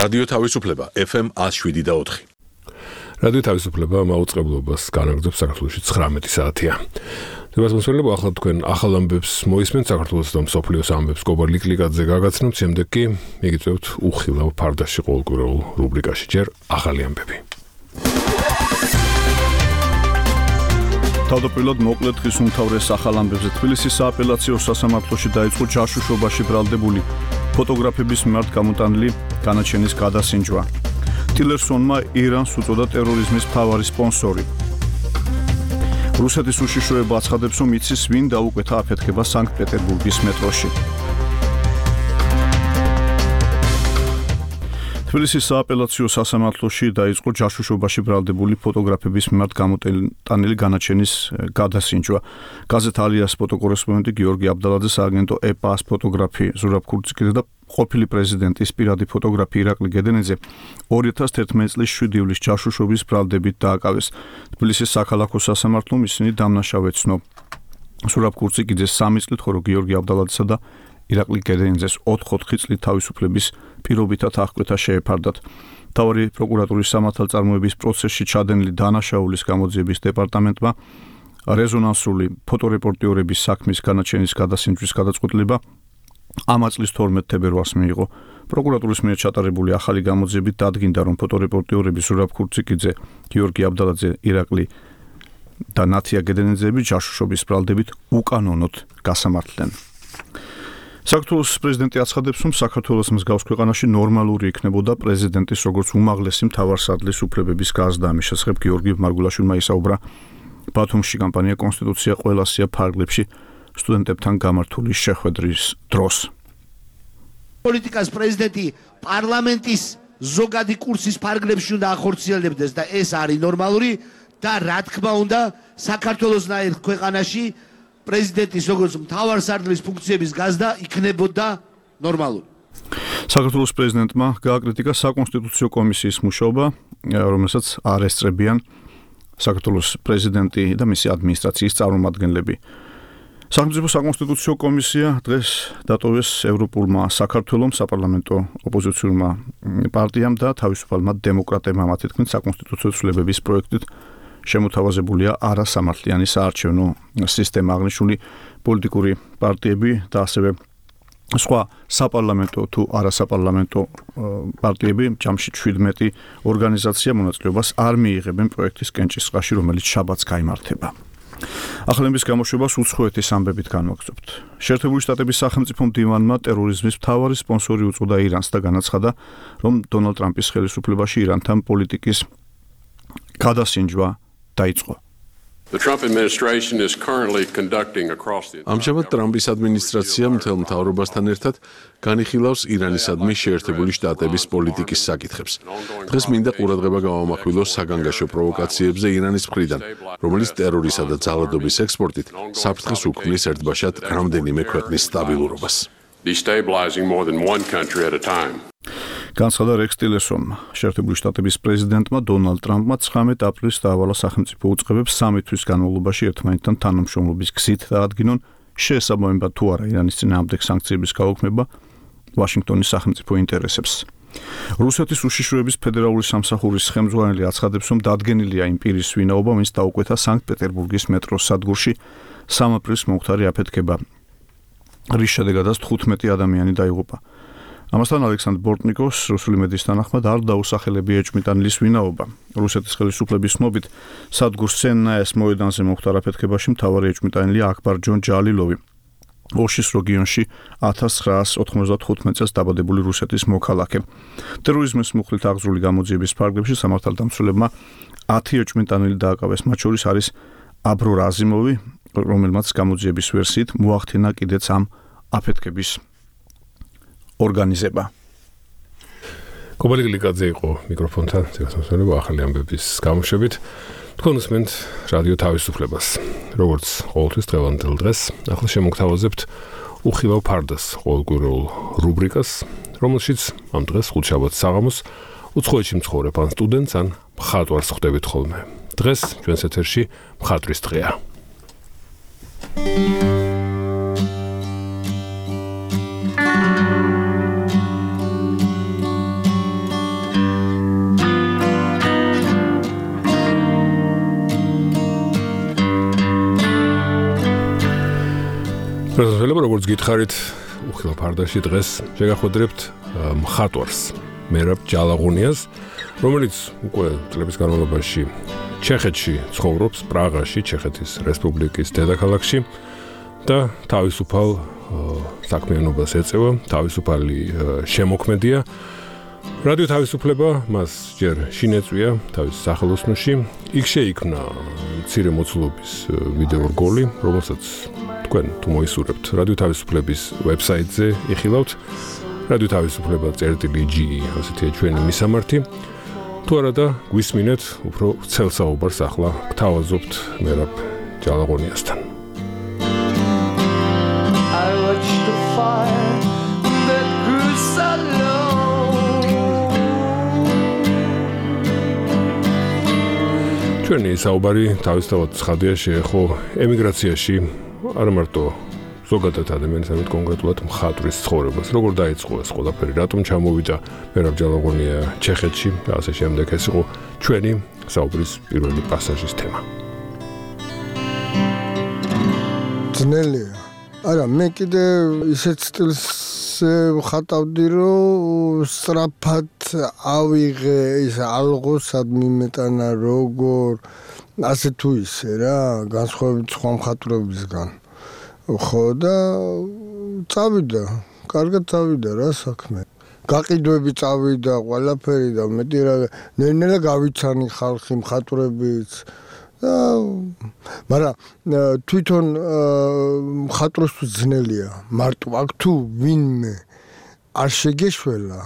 რადიო თავისუფლება FM 107.4. რადიო თავისუფლება მაუწყებლობას განაგრძობს საქართველოში 19 საათია. დღეს მოსვენებო ახლა თქვენ ახალ ამბებს მოისმენთ საქართველოს და მსოფლიოს ამბებს კობარ ლიკლიკაძე გაგაცნობთ, შემდეგ კი მიგიწევთ უხილავ ფარდაში ყოველკვირეულ რუბრიკაში ჯერ ახალი ამბები. თავდაპირველად მოკლედ დღის უმთავრეს ახალ ამბებზე თბილისის სააპელაციო სასამართლოში დაიწყო ჯაშუშობაში ბრალდებული ფოტოგრაფების მიმართ გამოტანილი განაჩენის გადასინჯვა. ტილერსონმა ირანს უწოდა ტერორიზმის მთავარი სპონსორი. რუსეთის უშიშროება აცხადებს, რომ იცის ვინ დაუკვეთა აფეთქება სანქტ-პეტერბურგის მეტროში. თბილისის სააპელაციო სასამართლოში დაიწყო ჯაშუშობაში ბრალდებული ფოტოგრაფების მიმართ გამოტანილი განაჩენის გადასინჯვა. გაზეთ ალიას ფოტოკორესპონდენტი გიორგი აბდალაძეს აგენტო ეპას ფოტოგრაფი ზურაბ ქურციკიძე და ყოფილი პრეზიდენტის პირადი ფოტოგრაფი ირაკლი გედენიძე 2011 წლის 7 ივლისის ჯაშუშობის ბრალდებით დააკავეს. თბილისის საქალაქო სასამართლომ ისინი დამნაშავე ცნო. ზურაბ ქურციკიძეს 3 წლით, ხოლო გიორგი აბდალაძესა და ირაკლი გედენიძეს 4 წლით თავისუფლების პირობითად აღკვეთა შეეფარდათ. მთავარი პროკურატურის სამართალწარმოების პროცესში ჩადენილი დანაშაულის გამოძიების დეპარტამენტმა რეზონანსული ფოტორეპორტიორების საქმის განაჩენის გადასინჯვის გადაწყვეტილება ამ წლის 12 თებერვალს მიიღო. პროკურატურის მიერ ჩატარებული ახალი გამოძიებით დადგინდა, რომ ფოტორეპორტიორები ზურაბ ქურციკიძე, გიორგი აბდალაძე, ირაკლი და ნათია გედენიძეები ჯაშუშობის ბრალდებით უკანონოდ გასამართლდნენ. საქართველოს პრეზიდენტი აცხადებს, რომ საქართველოს მსგავს ქვეყანაში ნორმალური იქნებოდა პრეზიდენტის როგორც უმაღლესი მთავარსარდლის უფლებების გაზრდა. ამის შესახებ გიორგი მარგულაშვილმა ისაუბრა ბათუმში კამპანია კონსტიტუცია ყველასია ფარგლებში სტუდენტებთან გამართული შეხვედრის დროს. პოლიტიკას პრეზიდენტი პარლამენტის ზოგადი კურსის ფარგლებში უნდა ახორციელებდეს და ეს არის ნორმალური და რა თქმა უნდა საქართველოსნაირ ქვეყანაში პრეზიდენტის როგორც მთავარსარდლის ფუნქციების გაზრდა იქნებოდა ნორმალური. საქართველოს პრეზიდენტმა გააკრიტიკა საკონსტიტუციო კომისიის მუშაობა, რომელსაც არ ესწრებიან საქართველოს პრეზიდენტი და მისი ადმინისტრაციის წარმომადგენლები. სახელმწიფო საკონსტიტუციო კომისია დღეს დატოვეს ევროპულმა საქართველომ, საპარლამენტო ოპოზიციურმა პარტიამ და თავისუფალმა დემოკრატებმა. მათი თქმით, საკონსტიტუციო ცვლილებების პროექტით შემოთავაზებულია არასამართლიანი საარჩევნო სისტემა, აღნიშნული პოლიტიკური პარტიები და ასევე სხვა საპარლამენტო თუ არასაპარლამენტო პარტიები, ჯამში 17 ორგანიზაცია მონაწილეობას არ მიიღებენ პროექტის კენჭისყრაში, რომელიც შაბათს გაიმართება. ახალების გამოშვებას უცხოეთის ამბებით განვაგრძობთ. შეერთებული შტატების სახელმწიფო მდივანმა ტერორიზმის მთავარი სპონსორი უწოდა ირანს და განაცხადა, რომ დონალდ ტრამპის ხელისუფლებაში ირანთან პოლიტიკის გადასინჯვა დაიწყო. ამჟამად ტრამპის ადმინისტრაცია მთელ მთავრობასთან ერთად განიხილავს ირანისადმი შეერთებული შტატების პოლიტიკის საკითხებს. დღეს მინდა ყურადღება გავამახვილოს საგანგაშო პროვოკაციებზე ირანის მხრიდან, რომელიც ტერორისა და ძალადობის ექსპორტით საფრთხეს უქმნის ერთბაშად რამდენიმე ქვეყნის სტაბილურობას. განცხადა რექს ტილერსონმა. შეერთებული შტატების პრეზიდენტმა დონალდ ტრამპმა 19 აპრილს დაავალა სახელმწიფო უწყებებს 3 თვის განმავლობაში ერთმანეთთან თანამშრომლობის გზით დაადგინონ შეესაბამება თუ არა ირანის წინააღმდეგ სანქციების გაუქმება ვაშინგტონის სახელმწიფო ინტერესებს. რუსეთის უშიშროების ფედერალური სამსახურის ხელმძღვანელი აცხადებს, რომ დადგენილია იმ პირის ვინაობა, ვინც დაუკვეთა სანქტ-პეტერბურგის მეტროს სადგურში 3 აპრილს მომხდარი აფეთქება, რის შედეგადაც 15 ადამიანი დაიღუპა. ამასთან ალექსანდრ ბორტნიკოს რუსული მედიის თანახმად არ დაუსახელებია ეჭვმიტანილის ვინაობა. რუსეთის ხელისუფლების ცნობით სადგურს სენნაეს მოედანზე მომხდარ აფეთქებაში მთავარი ეჭვმიტანილია აქბარ ჯონ ჯალილოვი. ოშის რეგიონში 1995 წელს დაბადებული რუსეთის მოქალაქე. ტერორიზმის მუხლით აღძრული გამოძიების ფარგლებში სამართალდამცველებმა 10 ეჭვმიტანილი დააკავეს. მათ შორის არის აბრორ აზიმოვი, რომელმაც გამოძიების ვერსიით მოახდინა კიდეც ამ აფეთქების ორგანიზება. კობარ ლიკლიკაძე იყო მიკროფონთან, ზეგასმოსვენებო ახალი ამბების გამოშვებით. თქვენ უსმენთ რადიო თავისუფლებას. როგორც ყოველთვის დღევანდელ დღეს, ახლა შემოგთავაზებთ უხილავ ფარდას ყოველკვირეულ რუბრიკას, რომელშიც ამ დღეს ხუთშაბათს საღამოს უცხოეთში მცხოვრებ ან სტუდენტს ან მხატვარს ხვდებით ხოლმე. დღეს ჩვენს ეთერში მხატვრის დღეა. პრეზიდენტი როგორც გითხარით, უხილო ფარდაში დღეს შეგახვედრებთ მხატვარს, მერაბ ჯალაღონიას, რომელიც უკვე წლების განმავლობაში ჩეხეთში ცხოვრობს, პრაღაში, ჩეხეთის რესპუბლიკის დედაქალაქში და თავისუფალ საქმიანობას ეწევა, თავისუფალი შემოქმედია. რადიო თავისუფლება მას ჯერ შინეწვია თავის სახელოსნოში. იქ შეიქმნა მცირე მოცულობის ვიდეო რგოლი, რომელსაც თქვენ თუ მოისურვებთ რადიო თავისუფლების ვებსაიტზე იხილავთ. რადიო თავისუფლება.ge ასეთია ჩვენი მისამართი. თუ არა და გვისმინეთ, უფრო ვრცელ საუბარს ახლა გთავაზობთ მერაბ ჯალაღონიასთან. I watched the fire that grew so low. ჩვენი საუბარი თავისთავად ცხადია შეეხო ემიგრაციაში არა მარტო ზოგადად ადამიანის, არამედ კონკრეტულად მხატვრის ცხოვრებას. როგორ დაიწყო ეს ყველაფერი, რატომ ჩამოვიდა მერაბ ჯალაღონია ჩეხეთში და ასე შემდეგ. ეს იყო ჩვენი საუბრის პირველი პასაჟის თემა. ძნელია. არა, მე კიდე ისეთ სტილს ვხატავდი, რომ სწრაფად ავიღე ის ალღო სად მიმეტანა როგორ ასე თუ ისე რა, განსხვავებით სხვა მხატვრებისგან. ხო და წავიდა, კარგად წავიდა რა საქმე. გაყიდვები წავიდა, ყველაფერი და მეტი რა ნელ-ნელა გავიცანი ხალხი მხატვრებიც. მაგრამ თვითონ მხატვრისთვის ძნელია. მარტო აქ თუ ვინმე არ შეგეშველა,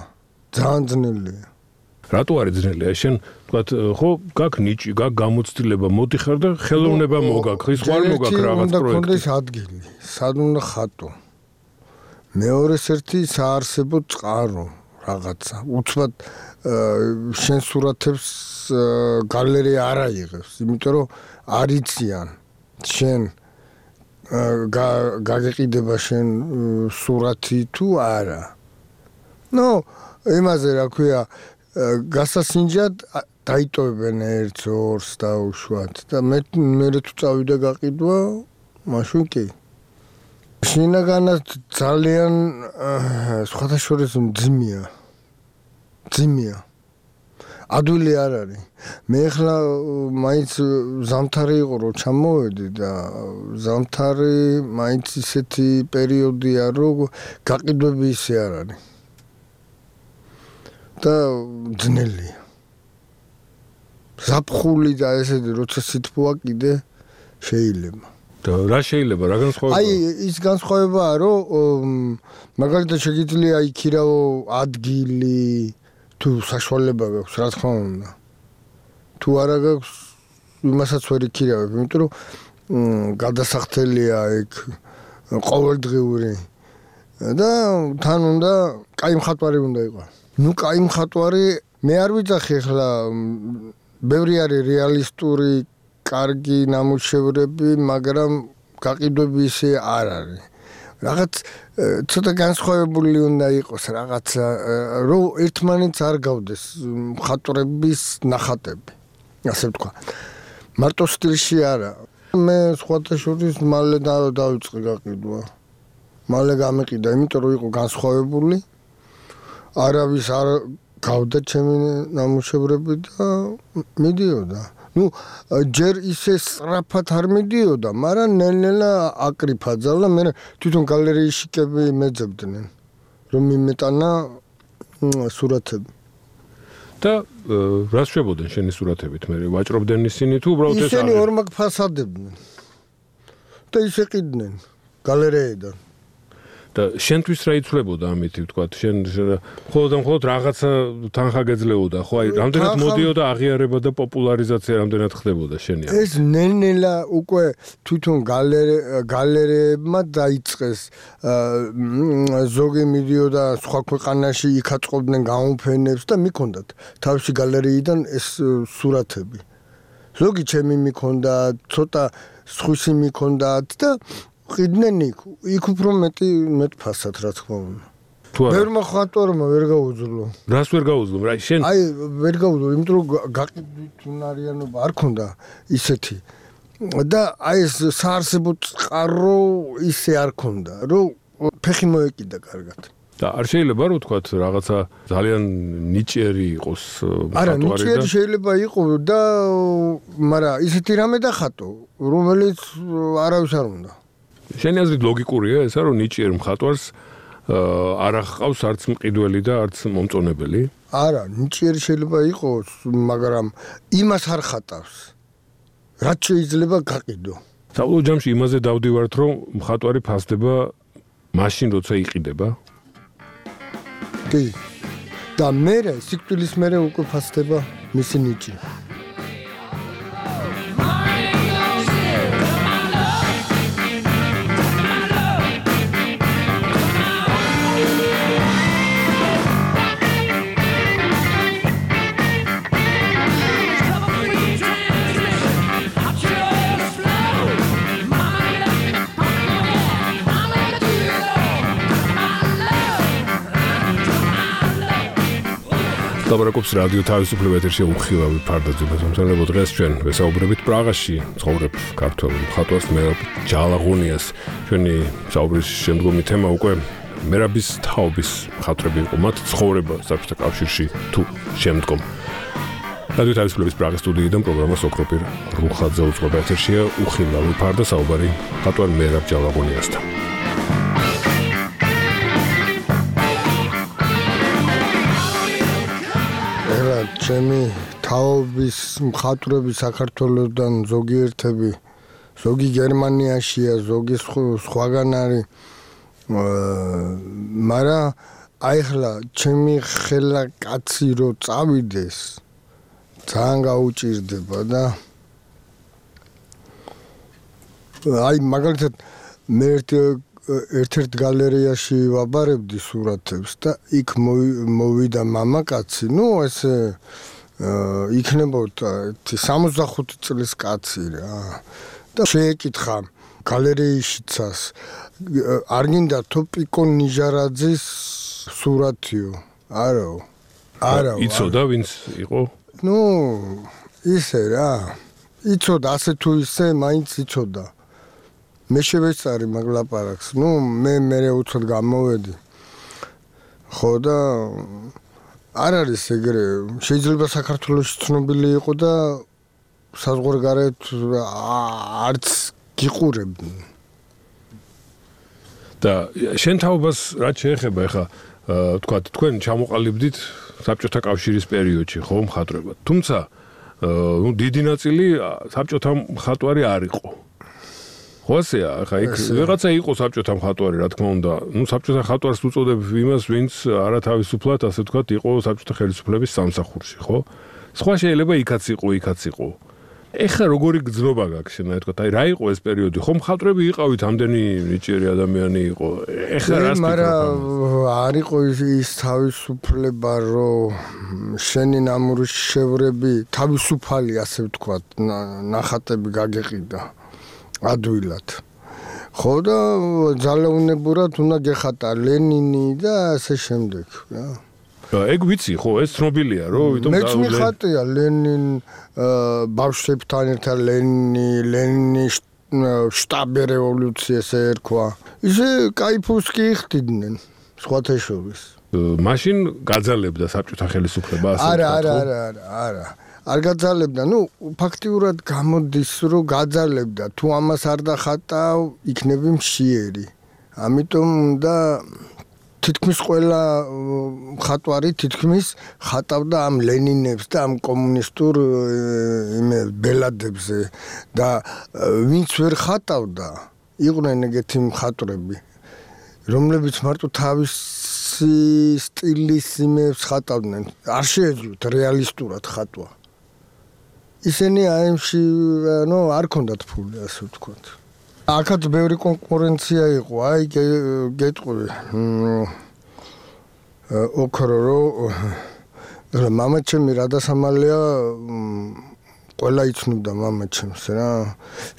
ძალიან ძნელია. რატო არის ძნელია? შენ ვთქვათ, ხო, გაქვს ნიჭი, გაქვს გამოცდილება, მოდიხარ და ხელოვნება მოგაქვს, ის ხარ მოგაქვს რაღაც პროექტი. უნდა კონდეს ადგილი, სად უნდა ხატო. მეორეს ერთი საარსებო წყარო რაღაცა. უცბად შენ სურათებს გალერეა არ აიღებს, იმიტომ რომ არ იციან შენ გაგეყიდება შენ სურათი თუ არა. ნუ იმაზე რა ქვია გასასინჯად დაიტოვებენ ერთს ორს დაუშვათ და მე თუ წავიდა გაყიდვა მაშინ კი შინაგანად ძალიან სხვადასხვა ძიმია ადვილი არ არის მე ახლა მაინც ზამთარი იყო რომ ჩამოვედი და ზამთარი მაინც ისეთი პერიოდია რომ გაყიდვები ისე არ არის და ძნელია. ზაფხული და ესეთი როცა სითბოა კიდე შეიძლება. და რა შეიძლება, რა განსხვავება? აი ის განსხვავებაა, რომ მაგალითად შეგიძლია იქირავო ადგილი, თუ საშუალება გაქვს, რა თქმა უნდა. თუ არა გაქვს, იმასაც ვერ იქირავებ, იმიტომ რომ გადასახდელია ეგ ყოველდღიური და თან უნდა კაი მხატვარი უნდა იყოს. ნუ კაი მხატვარი მე არ ვიცახი ახლა ბევრი არის რეალისტური კარგი ნამუშევრები, მაგრამ გაყიდვები ისე არ არის. რაღაც ცოტა განსხვავებული უნდა იყოს რაღაცა, რომ ერთმანეთს არ გავდეს მხატვრების ნახატები, ასე ვთქვა. მარტო სტილში არა. მე სხვათა შორის მალე დავიწყე გაყიდვა. მალე გამეყიდა, იმიტომ რომ იყო განსხვავებული. არავის არ გავდა ჩემი ნამუშევრები და მიდიოდა. ნუ ჯერ ისე სწრაფად არ მიდიოდა, მაგრამ ნელ-ნელა აკრიფა ძალა, მე თვითონ გალერეიში კები მეძებდნენ, რომ მიმეტანა სურათები. და რას შვებოდნენ შენი სურათებით? მე ვაჭრობდნენ ისინი თუ უბრალოდ ეს ისინი ორმაგ ფასადებდნენ. და ისე ყიდნენ გალერეიდან. და შენთვის რა იცვლებოდა ამით, ვთქვათ, შენ მხოლოდ რაღაცა თანხა გეძლეოდა, ხო, აი, რამდენად მოდიოდა აღიარება და პოპულარიზაცია რამდენად ხდებოდა შენია? ეს ნელ-ნელა უკვე თვითონ გალერეებმა დაიწყეს, ზოგი მიდიოდა სხვა ქვეყანაში, იქ აწყობდნენ გამოფენებს და მიქონდათ თავისი გალერეიდან ეს სურათები. ზოგი ჩემი მიქონდათ, ცოტა სხვისი მიქონდათ და ყიდნენ იქ უფრო მეტ ფასად რა თქმა უნდა. ვერ მხატვარმა ვერ გაუძლო. რას ვერ გაუძლო? რა შენ? აი ვერ გაუძლო, იმიტომ რომ გაყიდვით უნარიანობა არ ქონდა ისეთი. და აი ეს საარსებო წყარო ისე არ ქონდა, რომ ფეხი მოეკიდა კარგად. და არ შეიძლება რომ თქვათ რაღაცა ძალიან ნიჭიერი იყოს არა, ნიჭიერი შეიძლება იყოს და მაგრამ ისეთი რამე დახატო, რომელიც არავის არ უნდა. შენი აზრით ლოგიკურია ესა რომ ნიჭიერ მხატვარს არ აღყავს არც მყიდველი და არც მომწონებელი? არა, ნიჭიერი შეიძლება იყოს, მაგრამ იმას არ ხატავს. რაც შეიძლება გაყიდო. საბოლოო ჯამში იმაზე დავდივართ რომ მხატვარი ფასდება მაშინ როცა იყიდება? კი. და მერე სიკვდილის მერე უკვე ფასდება მისი ნიჭი. ლაბორაკობს რადიო თავისუფლება ეთერში უხილავი ფარდაძე მოსამსახურებო დღეს ჩვენ ვესაუბრებით პრაღაში ცხოვრებ ქართველ მხატვარს მერაბ ჯალაღონიას. ჩვენი საუბრის შემდგომი თემა უკვე მერაბის თაობის მხატვრები იყო, მათ ცხოვრება საბჭოთა კავშირში თუ შემდგომ. რადიო თავისუფლების პრაღის სტუდიიდან პროგრამას ოქროპირ რუხაძე უწყობა ეთერშია უხილავი ფარდა საუბარი მხატვარ მერაბ ჯალაღონიასთან. ჩემი თაობის მხატვრები საქართველოსდან ზოგიერთები, ზოგი გერმანიაშია, ზოგი სხვაგან არის. მაგრამ აი ხლა ჩემი ხელა კაცი რო წავიდეს, ძალიან გაუჭირდება და აი მაგალითად მე ერთ-ერთ გალერეაში ვაბარებდი სურათებს და იქ მოვიდა მამაკაცი, ესე იქნებოდა 65 წლის კაცი რა. და შეეკითხა გალერეიშიცას, არ გინდა თუ პიკო ნიჟარაძის სურათიო? არა. იცოდა ვინც იყო? ისე რა. იცოდა, ასე თუ ისე, მაინც იცოდა. მე შევეწარი მაგ ლაპარაკს. მე უცოდ გამოვედი. ხო და არ არის ეგრე. შეიძლება საქართველოში ცნობილი იყო და საზღვარგარეთ არც გიყურებდნენ. და შენ თაობას რაც შეეხება ახლა თქვა თქვენ ჩამოყალიბდით საბჭოთა კავშირის პერიოდში ხო მხატვრებად. თუმცა დიდი ნაწილი საბჭოთა მხატვარი არ იყო. ხო ასეა, ახლა იქ ვიღაცა იყო საბჭოთა მხატვარი, რა თქმა უნდა. საბჭოთა მხატვარს უწოდებ იმას, ვინც არათავისუფლად, ასე ვთქვათ, იყო საბჭოთა ხელისუფლების სამსახურში, ხო? სხვა შეიძლება იქაც იყო. ეხლა როგორი გრძნობა გაქვს შენ, თქვა, აი რა იყო ეს პერიოდი? ხო მხატვრები იყავით, ამდენი ნიჭიერი ადამიანი იყო. ეხლა რას ფიქრობ? მაგრამ არ იყო ის თავისუფლება, რომ შენი ნამუშევრები თავისუფალი, ასე ვთქვათ, ნახატები გაგეყიდა. ადვილად. ხო და ძალაუნებურად უნდა გეხატა ლენინი და ასე შემდეგ, რა. ეგ ვიცი, ხო, ეს ცნობილია, რომ ვიტომ მეც მიხატია ლენინ ბავშვებთან ერთად ლენინის შტაბი რევოლუციას ერქვა. ისე кайფოს კი იხდიდნენ სხვათა შორის. მაშინ გაძალებდა საბჭოთა ხელისუფლება ასე ვთქვათ. არა. არ გაძალებდა, ფაქტიურად გამოდის, რომ გაძალებდა, თუ ამას არ დახატავ, იქნები მშიერი. ამიტომ უნდა თითქმის ყველა მხატვარი თითქმის ხატავდა ამ ლენინებს და ამ კომუნისტურ ბელადებზე და ვინც ვერ ხატავდა, იყვნენ ეგეთი მხატვრები, რომლებიც მარტო თავისი სტილის იმებს ხატავდნენ. არ შეეძლოთ რეალისტურად ხატვა. ისინი აიმში არ ქონდათ ფული, ასე ვთქვათ. აქაც ბევრი კონკურენცია იყო, აი გეტყვი. ოქრო რომ მამაჩემი რადასამალია ყველა იცნობდა მამაჩემს რა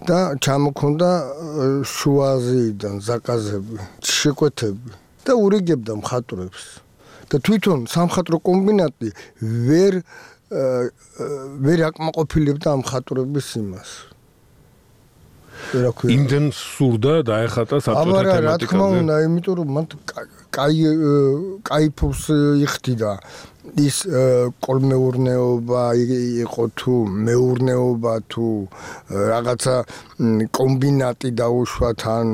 და ჩამოქონდა შუაზიიდან ზაკაზები, შეკვეთები და ურიგებდა მხატვრებს. და თვითონ სამხატვრო კომბინატი ვერ აკმაყოფილებდა ამ მხატვრების იმას. იმდენ სურდა დაეხატა საბჭოთა თემატიკაზე. რა თქმა უნდა, იმიტომ რომ მან კაიფობს იხდიდა ის კოლმეურნეობა იყო თუ მეურნეობა თუ რაღაცა კომბინატი დაუშვა თან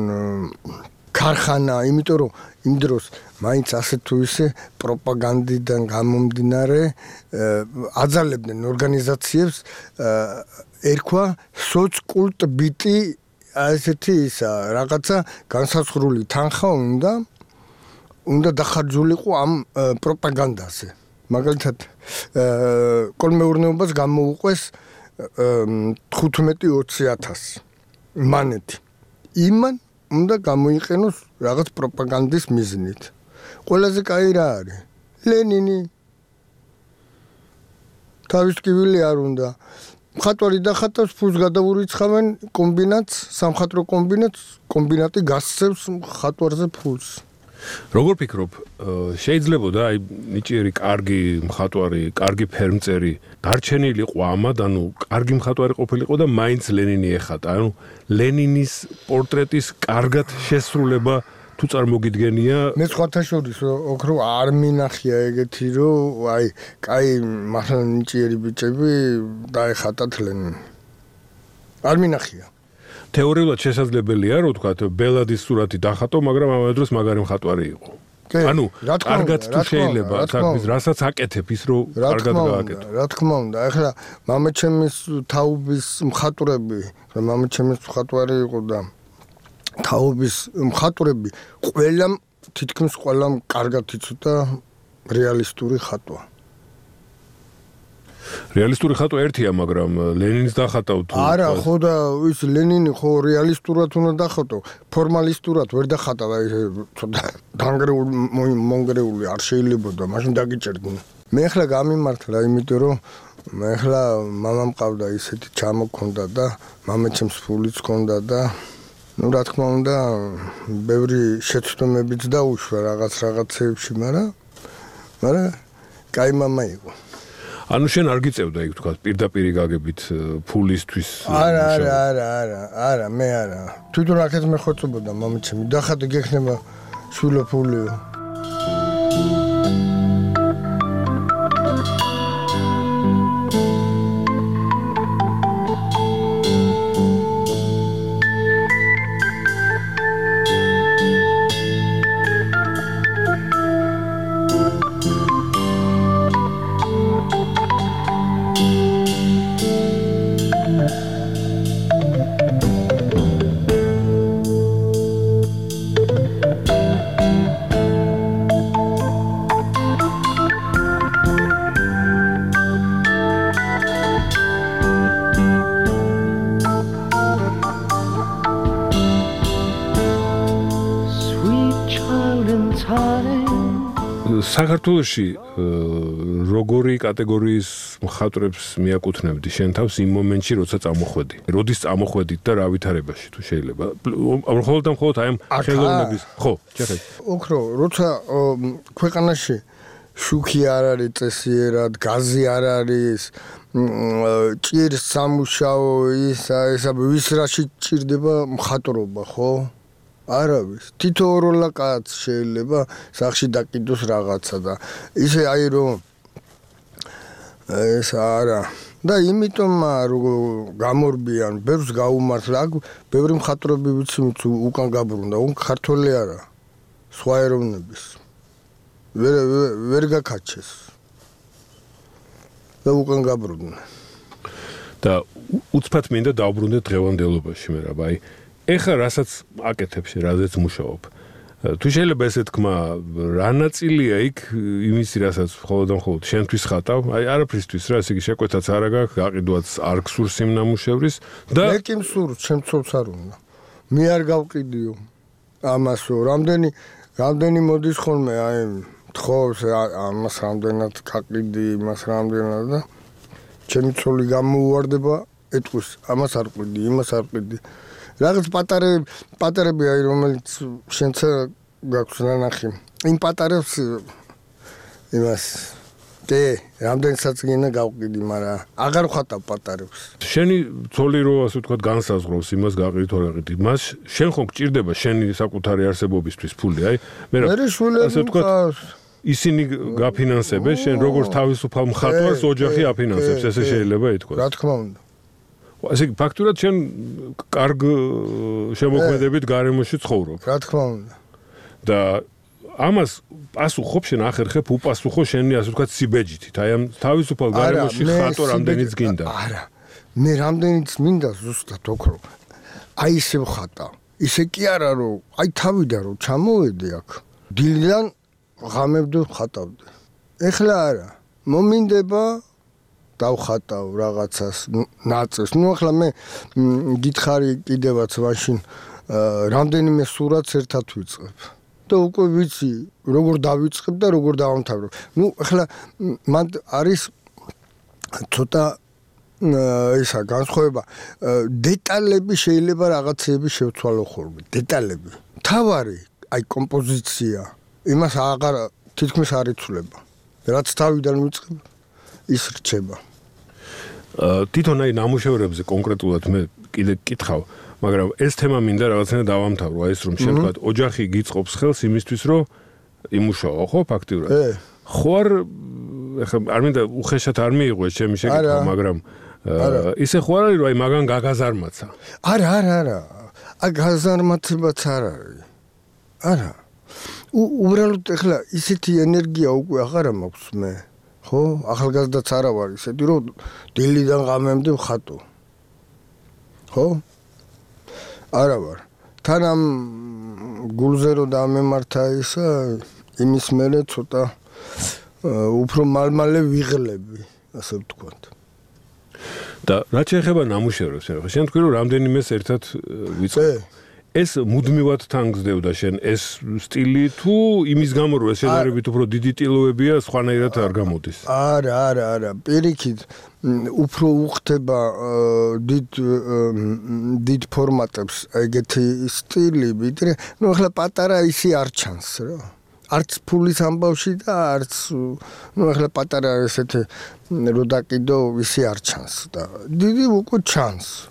ქარხანა, იმიტომ რომ იმ დროს მაინც ასე თუ ისე პროპაგანდიდან გამომდინარე აძალებდნენ ორგანიზაციებს ერქვა სოცკულტბიტი ასეთი ისა რაღაცა განსაცხრული თანხა უნდა დახარჯულიყო ამ პროპაგანდაზე. მაგალითად კოლმეურნეობას გამოუყვეს 15-20,000 მანეთი. იმან უნდა გამოიყენოს რაღაც პროპაგანდის მიზნით. ყველაზე კაი რა არის? ლენინი. თავის ტკივილი არ უნდა. მხატვარი დახატავს, ფულს გადაურიცხავენ კომბინატს, სამხატვრო კომბინატი გასცემს მხატვარზე ფულს. როგორ ფიქრობ, შეიძლებოდა აი ნიჭიერი კარგი მხატვარი, კარგი ფერმწერი დარჩენილიყო ამად, ანუ კარგი მხატვარი ყოფილიყო და მაინც ლენინი ეხატა. ანუ ლენინის პორტრეტის კარგად შესრულება თუ წარმოგიდგენია? მე სხვათა შორის ოქრო არ მინახია ეგეთი, რომ აი, კაი, მართლა ნიჭიერი ბიჭები დაეხატათ ლენინი. არ მინახია. თეორიულად შესაძლებელია, რომ თქვათ, ბელადის სურათი დახატო, მაგრამ ამავე დროს მაგარი მხატვარი იყო. ანუ კარგად თუ შეიძლება, საქმის რასაც აკეთებ ის რომ კარგად გააკეთო. რა თქმა უნდა, ახლა მამაჩემის თაობის მხატვრები, მამაჩემის მხატვარი იყო და თაობის მხატვრები თითქმის ყველამ კარგად იცოდა რეალისტური ხატვა. რეალისტური ხატვა ერთია, მაგრამ ლენინს დახატავთ. არა, ხო და ის ლენინი ხო რეალისტურად უნდა დახატო, ფორმალისტურად ვერ დახატა, ცოტა დანგრეული მონგრეული არ შეიძლებოდა, მაშინ დაგიჭერდნენ. მე ახლა გამიმართლა, იმიტომ რომ მე ახლა მამა მყავდა ისეთი ჩამოქონდა და მამაჩემს ფულიც ჰქონდა და ну, რა თქმა უნდა, ბევრი შეცდომებიც დაუშვა რაღაცეებში, მაგრამ კაი მამა იყო. ანუ შენ არ გიწევდა იქ თქვა პირდაპირ გაგებით ფულისთვის? არა, მე არა. თვითონ აქეთ მე ხოცობოდა მამაჩემი, დახატე გექნება შვილო ფულიო. საქართველოში როგორი კატეგორიის მხატვრებს მიაკუთვნებდი შენ თავს იმ მომენტში, როცა წამოხვედი? როდის წამოხვედით და რა ვითარებაში თუ შეიძლება? მხოლოდ აი ამ ხელოვნების, ხო, ჩეხეთ. ოქრო, როცა ქვეყანაში შუქი არ არის წესიერად, გაზი არ არის, ჭირს სამუშაო, ისა ვის რაში ჭირდება მხატვრობა, ხო? არავის. თითო ოროლა კაც შეიძლება სახში დაკიდოს რაღაცა და ისე აი რომ ეს არა და იმიტომ რომ გამორბიან, ბევრს გაუმართლა, ბევრი მხატვრები ვიცი უკან გაბრუნდა, ქართველი არა, სხვა ეროვნების. ვერ გაკაჩეს. და უკან გაბრუნდა. და უცბად მინდა დავბრუნდე დღევანდელობაში მე რა, აი ეხლა რასაც აკეთებ შე, რაზეც მუშაობ. თუ შეიძლება ესე თქვა, რა ნაწილია იქ იმისი, რასაც მხოლოდ შენთვის ხატავ, აი არაფრისთვის რა, ესე იგი შეკვეთაც არ აქვს, გაყიდვაც არ გსურს იმ ნამუშევრის და მე კი მსურს, ჩემცოც არ უნდა. მე არ გავყიდიო ამასო, რამდენი მოდის ხოლმე, აი თხოვს ამას რამდენად გაყიდი, იმას რამდენად და ჩემი ცოლი გამოუვარდება, ეტყვის, ამას არ ყიდი, იმას არ ყიდი. რაღაც პატარები აი რომელიც შენც გაქვს ნანახი. იმ პატარებს იმას კი, რამდენსაც გინდა გავყიდი, მაგრამ აღარ ვხატავ პატარებს. შენი ცოლი რო ასე ვთქვათ განსაზღვროს იმას გაყიდით თუ არ გაყიდით. მას შენ ხომ გჭირდება შენი საკუთარი არსებობისთვის ფული, აი? მე შულები მყავს. ისინი გაფინანსებენ, შენ როგორც თავისუფალ მხატვარს ოჯახი აფინანსებს, ესე შეიძლება ითქვას. რა თქმა უნდა. ასე იგი ფაქტურად შენ კარგ შემოქმედებით გარემოში ცხოვრობ. რა თქმა უნდა. და ამას პასუხობ შენ ახერხებ უპასუხო შენი ასე ვთქვათ სიბეჯითით. აი ამ თავისუფალ გარემოში ხატო რამდენიც გინდა. არა. მე რამდენიც მინდა ზუსტად ოქრო. აი ისე ვხატა. ისე კი არა რომ აი თავიდან რომ ჩამოვედი აქ. დილიდან ღამებდ ვხატავდი. ეხლა არა. მომინდება დავხატავ რაღაცას ნაწილს. ნუ ახლა მე გითხარი კიდევაც მაშინ რამდენიმე სურათს ერთად ვიწყებ. და უკვე ვიცი როგორ დავიწყებ და როგორ დავამთავრებ. ნუ ახლა მან არის ცოტა ისა განსხვავება დეტალები შეიძლება რაღაცები შევცვალო ხოლმე. დეტალები. თავარი აი კომპოზიცია იმას აღარ თითქმის არ იცვლება. რაც თავიდან ვიწყებ ის რჩება. თვითონ აი ნამუშევრებზე კონკრეტულად მე კიდე გკითხავ, მაგრამ ეს თემა მინდა რაღაცნაირად დავამთავრო, აი ეს რომ შენ თქვა ოჯახი გიწყობს ხელს იმისთვის რომ იმუშაო, ხო, ფაქტიურად. ხო ახლა არ მინდა უხეშად არ მიიღო ეს ჩემი შეკითხვა, მაგრამ ისე ხო არ არის რომ აი მაგან გაგაზარმაცა. არა. აი გაზარმაცებაც არ არის. არა. უბრალოდ ახლა ისეთი ენერგია უკვე აღარა მაქვს მე. ხო, ახალგაზრდაც არა ვარ ისეთი რომ დილიდან ღამემდე ვხატო. ხო? არა ვარ. თან ამ გულზე რომ დამემართა ისა იმის მერე ცოტა უფრო მალმალე ვიღლები, ასე ვთქვათ. და რაც შეეხება ნამუშევრებს, შენ თქვი რომ რამდენიმეს ერთად ვიწყებ. ეს მუდმივად თანგზდევდა შენ ეს სტილი თუ იმის გამო რომ ეს შედარებით უფრო დიდი ტილოებია სხვანაირად არ გამოდის? არა. პირიქით უფრო უხდება დიდ ფორმატებს ეგეთი სტილი, ვიდრე ნუ ახლა პატარა ისი არ ჩანს რა. არც ფულის ამბავში და არც ნუ ახლა პატარა ესეთი რო დაკიდო ისი არ ჩანს და დიდი უკვე ჩანს.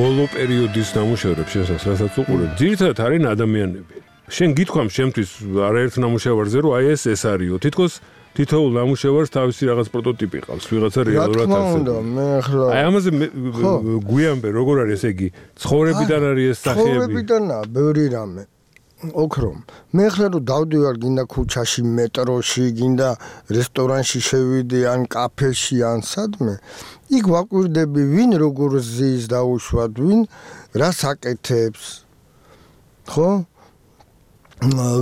ბოლო პერიოდის ნამუშევრებს შესაც რასაც უყურებ, ძირითადად არიან ადამიანები. შენ გითქვამ შემთთვის არაერთ ნამუშევარზე რომ აი ეს არისო. თითქოს თითოეულ ნამუშევარს თავისი რაღაც პროტოტიპი ყავს, ვიღაცა რეალურად არსებობს. მე ახლა აი ამაზე გვიამბე, როგორ არის ესე იგი, ცხოვრებიდან არის ეს სახეები. ცხოვრებიდანაა ბევრი რამე. ოქრომ. მე ახლა რომ დავდივარ გინდა ქუჩაში, მეტროში, გინდა რესტორანში შევიდე, ან კაფეში, ან სადმე, იქ ვაკვირდები ვინ როგორ ზის დაუშვათ, ვინ რას აკეთებს. ხო?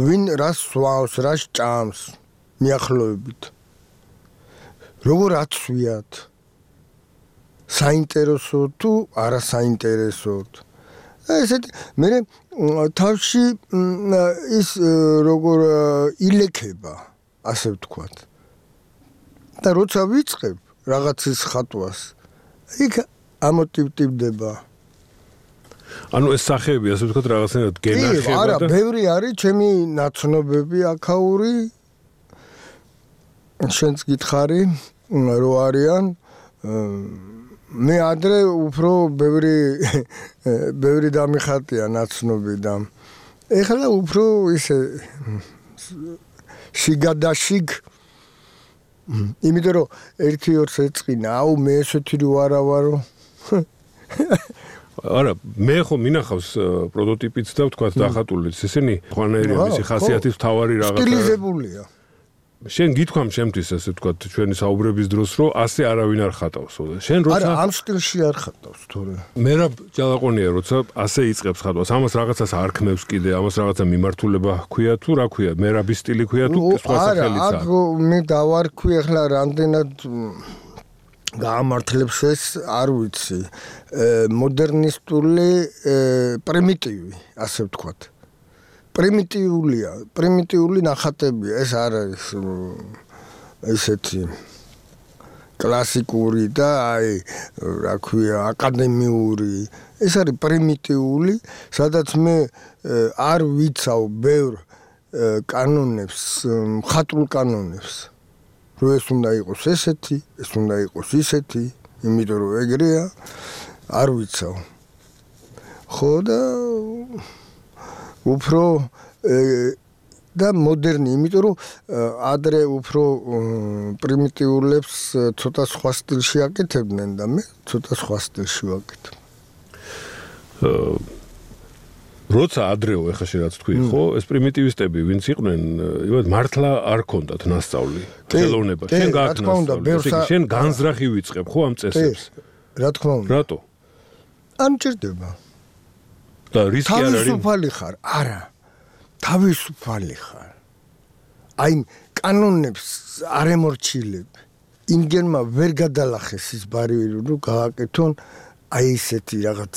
ვინ რას სვავს, რას ჭამს მიახლოებით. როგორ აცვიათ. საინტერესო თუ არასაინტერესოდ. ესეთი მე თავში ის როგორ ილექება, ასე ვთქვათ. და როცა ვიწყებ რაღაცის ხატვას, იქ ამოტივტივდება. ანუ ეს სახეები, ასე ვთქვათ, რაღაცნაირად გენახება არა, ბევრი არის ჩემი ნაცნობები აქაური. შენც გითხარი, რო არიან. მე ადრე უფრო ბევრი დამიხატია ნაცნობი და ეხლა უფრო ისე შიგადაშიგ იმიტომ რომ 1-2 ეწყინა, აუ მე ესეთი რო არა ვარო. არა, მე ხო მინახავს პროტოტიპიც და ვთქვათ დახატულიც. ესენი ხვანაერია მისი ხასიათის მთავარი რაღაცა. სტილიზებულია. შენ გითქვამ შემთთვის ასე ვთქვათ ჩვენი საუბრების დროს რომ ასე არავინ არ ხატავსო. შენ როცა არა, ამ სტილში არ ხატავს თორე. მერაბ ჯალაყონია როცა ასე იწყებს ხატვას, ამას რაღაცას არქმევს კიდე, ამას რაღაცა მიმართულება ჰქვია თუ რა ჰქვია, მერაბის სტილი ჰქვია თუ სხვა სახელიც არა, მე დავარქვი ახლა რამდენად გაამართლებს ეს არ ვიცი. მოდერნისტული პრიმიტივი, ასე ვთქვათ. პრიმიტიული ნახატებია, ეს არ არის ესეთი კლასიკური და აი, რა ქვია, აკადემიური. ეს არის პრიმიტიული, სადაც მე არ ვიცავ ბევრ კანონებს, მხატვრულ კანონებს. რომ ეს უნდა იყოს ესეთი, ეს უნდა იყოს ისეთი, იმიტომ რომ ეგრეა, არ ვიცავ. ხო და უფრო და მოდერნი, იმიტომ რომ ადრე უფრო პრიმიტიულებს ცოტა სხვა სტილში აკეთებდნენ და მე ცოტა სხვა სტილში ვაკეთებ. როცა ადრეო ეხა შე რაც თქვი, ხო, ეს პრიმიტივისტები ვინც იყვნენ, იმად მართლა არ ქონდათ ნასწავლი, ხელოვნება. შენ გააკნასწავლე, შენ განზრახი ვიწყებ, ხო ამ წესებს. რა თქმა უნდა. რატო? არ მჭირდება. და რისკი არ არის? თავისუფალი ხარ? არა. თავისუფალი ხარ. აი კანონებს არ ემორჩილებ. იმგენმა ვერ გადალახეს ის ბარიერი, რომ გააკეთონ აი ესეთი რაღაც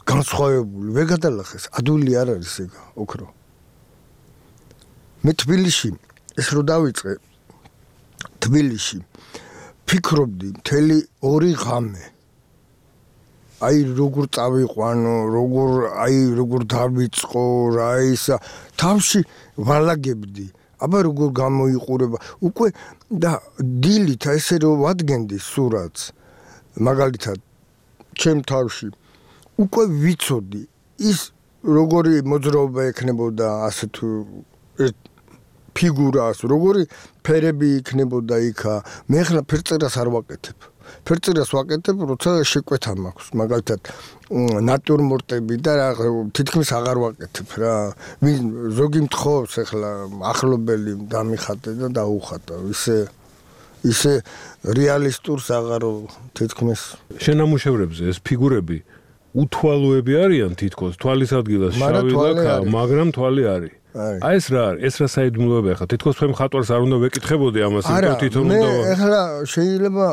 განსხვავებული, ვერ გადალახეს. ადვილი არ არის ეგ, ოქრო. მე თბილისში ეს რო დავიწყე თბილისში ფიქრობდი მთელი 2 ღამე. აი როგორ წავიყვანო, როგორ დავიწყო, რა ისა თავში ვალაგებდი. აბა როგორ გამოიყურება. უკვე და დილით ესე რომ ვადგენდი სურათს, მაგალითად ჩემ თავში უკვე ვიცოდი ის როგორი მოძრაობა ექნებოდა ასე თუ ფიგურას, როგორი ფერები იქნებოდა იქა. მე ახლა ფერწერას არ ვაკეთებ. ფერწერას ვაკეთებ, როცა შეკვეთა მაქვს, მაგალითად ნატურმორტები და რა თითქმის აღარ ვაკეთებ რა. ზოგი მთხოვს ახლა ახლობელი დამიხატე და დაუხატა. ისე რეალისტურს აღარო თითქმის. შენამუშევრებზე ეს ფიგურები უთვალოები არიან თითქოს, თვალის ადგილას შავი ლაქა, მაგრამ თვალი არის. აი ეს რა არის? ეს რა საიდუმლოებია ხა? თითქოს თქვენ მხატვარს არ უნდა ვეკითხებოდი ამას, იმიტომ თვითონ უნდა. მე ახლა შეიძლება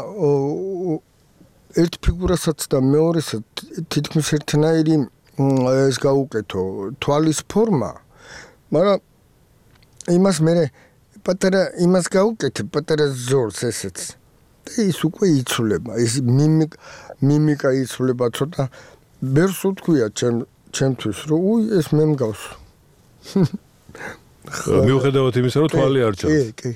ერთ ფიგურასაც და მეორესაც თითქმის ერთნაირი ეს გაუკეთო თვალის ფორმა, მაგრამ იმას მე პატარა იმას გაუკეთებ, პატარა ზორს ესეც. და ის უკვე იცვლება, ის მიმიკა იცვლება ცოტა. ბერს უთქვია ჩემთვის, რომ ეს მე მგავს. მიუხედავად იმისა, რომ თვალი არ ჩანს. კი.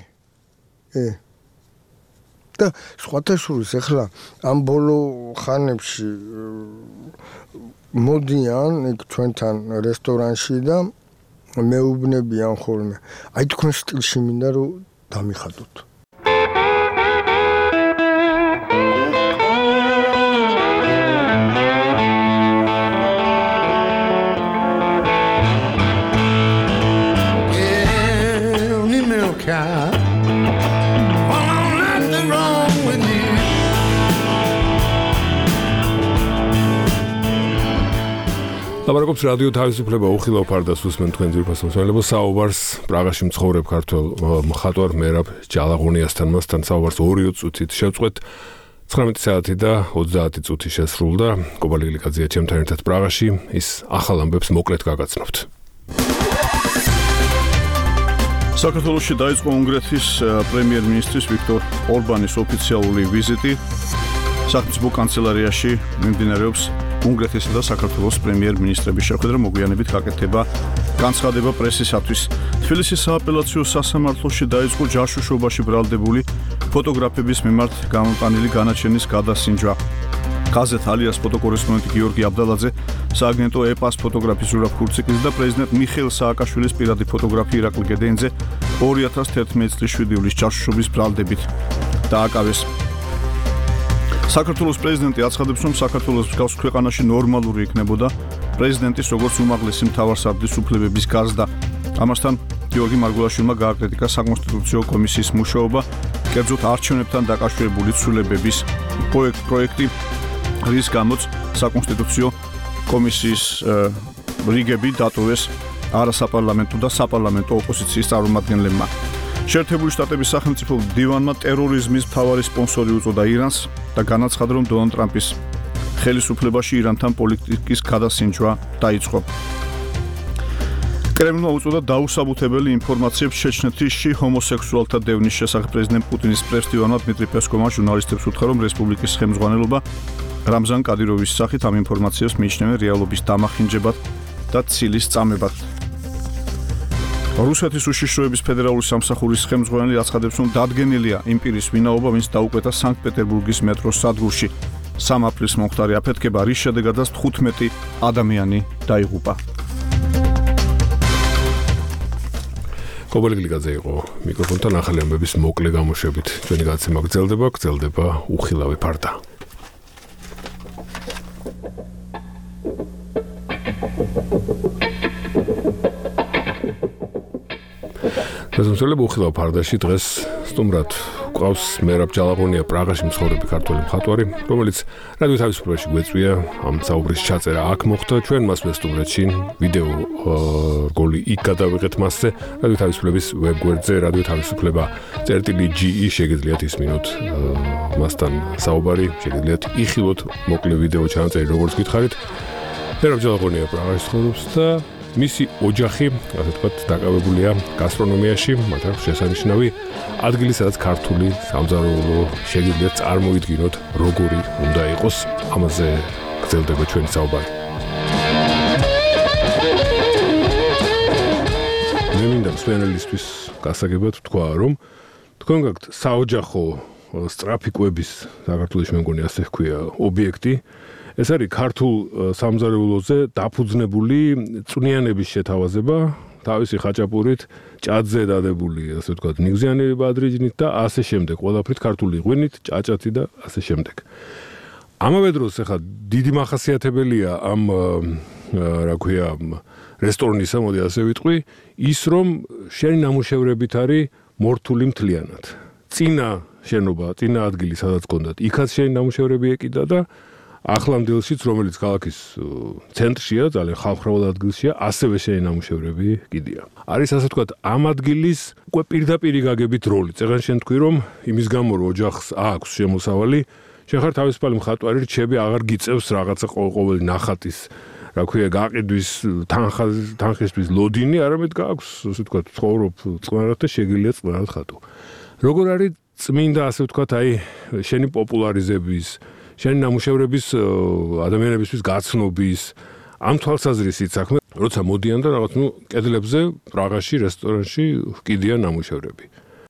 და სხვათა შორის ახლა ამ ბოლო ხანებში მოდიან იქ ჩვენთან რესტორანში და მეუბნებიან ხოლმე. აი თქვენ სტილში მინდა რომ დამიხატოთ. ლაპარაკობს რადიო თავისუფლება უხილავ ფარდას უსმენ თქვენ ძვირფას მოსმენელებო საუბარს პრაღაში მცხოვრებ ქართველ მხატვარ მერაბ ჯალაღონიასთან. მასთან საუბარს 2 წუთით შევწყვეთ. 19 საათი და 30 წუთი შესრულდა. კობალი გლიკაძეა ჩემთან ერთად პრაღაში. ის ახალ ამბებს მოკლედ გაგაცნობთ. საქართველოში დაიწყო უნგრეთის პრემიერ-მინისტრის ვიქტორ ორბანის ოფიციალური ვიზიტი. სახელმწიფო კანცელარიაში მიმდინარეობს უნგრეთისა და საქართველოს პრემიერ-მინისტრების შეხვედრა, მოგვიანებით გაკეთდება განცხადება პრესისათვის. თბილისის სააპელაციო სასამართლოში დაიწყო ჯაშუშობაში ბრალდებული ფოტოგრაფების მიმართ გამოტანილი განაჩენის გადასინჯვა. გაზეთ ალიას ფოტოკორესპონდენტი გიორგი აბდალაძე, სააგენტო ეპას ფოტოგრაფის ზურაბ ქურციკლის და პრეზიდენტ მიხეილ სააკაშვილის პირადი ფოტოგრაფი ირაკლი გედეინძე 2011 წლის 7 ივლისის ჯაშუშობის ბრალდებით დააკავეს. საქართველოს პრეზიდენტი აცხადებს, რომ საქართველოს მსგავს ქვეყანაში ნორმალური იქნებოდა პრეზიდენტის როგორც უმაღლესი მთავარსარდლის უფლებების გაზრდა. ამასთან გიორგი მარგულაშვილმა გააკრიტიკა საკონსტიტუციო კომისიის მუშაობა, კერძოდ არჩევნებთან დაკავშირებული ცვლილებების პროექტი, რის გამოც საკონსტიტუციო კომისიის რიგები დატოვეს არასაპარლამენტო და საპარლამენტო ოპოზიციის წარმომადგენლებმა. შეერთებული შტატების სახელმწიფო დივანმა ტერორიზმის მთავარი სპონსორი უწოდა ირანს და განაცხადა, რომ დონალდ ტრამპის ხელისუფლებაში ირანთან პოლიტიკის გადასინჯვა დაიწყო. კრემლმა უწოდა დაუსაბუთებელი ინფორმაციებს ჩეჩნეთში ჰომოსექსუალთა დევნის შესახებ. პრეზიდენტ პუტინის პრეს-დივანმა დმიტრი პესკოვმა ჟურნალისტებს უთხრა, რომ რესპუბლიკის ხელმძღვანელობა რამზან კადიროვის სახით ამ ინფორმაციას მიიჩნევენ რეალობის დამახინჯებად და ცილის წამებად. რუსეთის უშიშროების ფედერალური სამსახურის ხელმძღვანელი აცხადებს, რომ დადგენილია იმ პირის ვინაობა, ვინც დაუკვეთა სანქტ-პეტერბურგის მეტროს სადგურში. 3 აპრილს მომხდარი აფეთქება, რის შედეგადაც 15 ადამიანი დაიღუპა. კობალიგლიკაძე იყო მიკროფონთან, ახალი ამბების მოკლე გამოშვებით. ჩვენი გადაცემა გრძელდება უხილავი ფარდა. შესაძლებელი უხილავ ფარდაში დღეს სტუმრად გვყავს მერაბ ჯალაღონია, პრაღაში მცხოვრები ქართველი მხატვარი, რომელიც რადიო თავისუფლებაში გვეწვია ამ საუბრის ჩაწერა აქ მოხდა. ჩვენ მას ვესტუმრეთში ვიდეო რგოლი იქ გადავიღეთ მასზე. რადიო თავისუფლების ვებგვერდზე რადიო თავისუფლება.ge შეგიძლიათ ისმინოთ მასთან საუბარი, შეგიძლიათ იხილოთ მოკლე ვიდეო ჩანაწერი, როგორც გითხარით. მერაბ ჯალაღონია პრაღაში ცხოვრობს და მისი ოჯახი, ასე ვთქვათ, დაკავებულია გასტრონომიაში, მათ აქვს შესანიშნავი ადგილი, სადაც ქართული სამზარეულო შეგიძლიათ წარმოიდგინოთ, როგორი უნდა იყოს. ამაზე გრძელდება ჩვენი საუბარი. მე მინდა მსმენელისთვის გასაგებად ვთქვა, რომ თქვენ გაქვთ საოჯახო სწრაფი კვების, საქართველოში მე მგონი ასე ჰქვია, ობიექტი. ეს არის ქართულ სამზარეულოზე დაფუძნებული წვნიანების შეთავაზება, თავისი ხაჭაპურით, ჭადზე დადებული, ასე ვთქვათ, ნიგზიანი ბადრიჯნით და ასე შემდეგ, ყველაფრით ქართული ღვინით, ჭაჭათი და ასე შემდეგ. ამავე დროს ახლა დიდი მახასიათებელია ამ რა ქვია, რესტორნისა, მოდი ასე ვიტყვი, ის რომ შენი ნამუშევრებით არის მორთული მთლიანად. წინა შენობა, წინა ადგილი, სადაც გქონდათ, იქაც შენი ნამუშევრები ეკიდა და ახლანდელშიც, რომელიც ქალაქის ცენტრშია, ძალიან ხალხმრავალ ადგილშია, ასევე შენი ნამუშევრები კიდია. არის ასე ვთქვათ, ამ ადგილის უკვე პირდაპირი გაგებით როლი. წეგან შენ თქვი, რომ იმის გამო რომ ოჯახს აქვს შემოსავალი, შენ ხარ თავისუფალი მხატვარი, რჩები აღარ გიწევს რაღაცა ყოველი ნახატის, რა ქვია, გაყიდვის თანხისთვის ლოდინი, არამედ გააქვს, ასე ვთქვათ, ცხოვრობ წყნარად და შეგიძლია წყნარად ხატო. როგორ არის წმინდა, ასე ვთქვათ, აი შენი პოპულარიზების შენი ნამუშევრების ადამიანებისთვის გაცნობის ამ თვალსაზრისით საქმე, როცა მოდიან და რაღაც კედლებზე, პრაღაში, რესტორანში ჰკიდიან ნამუშევრები.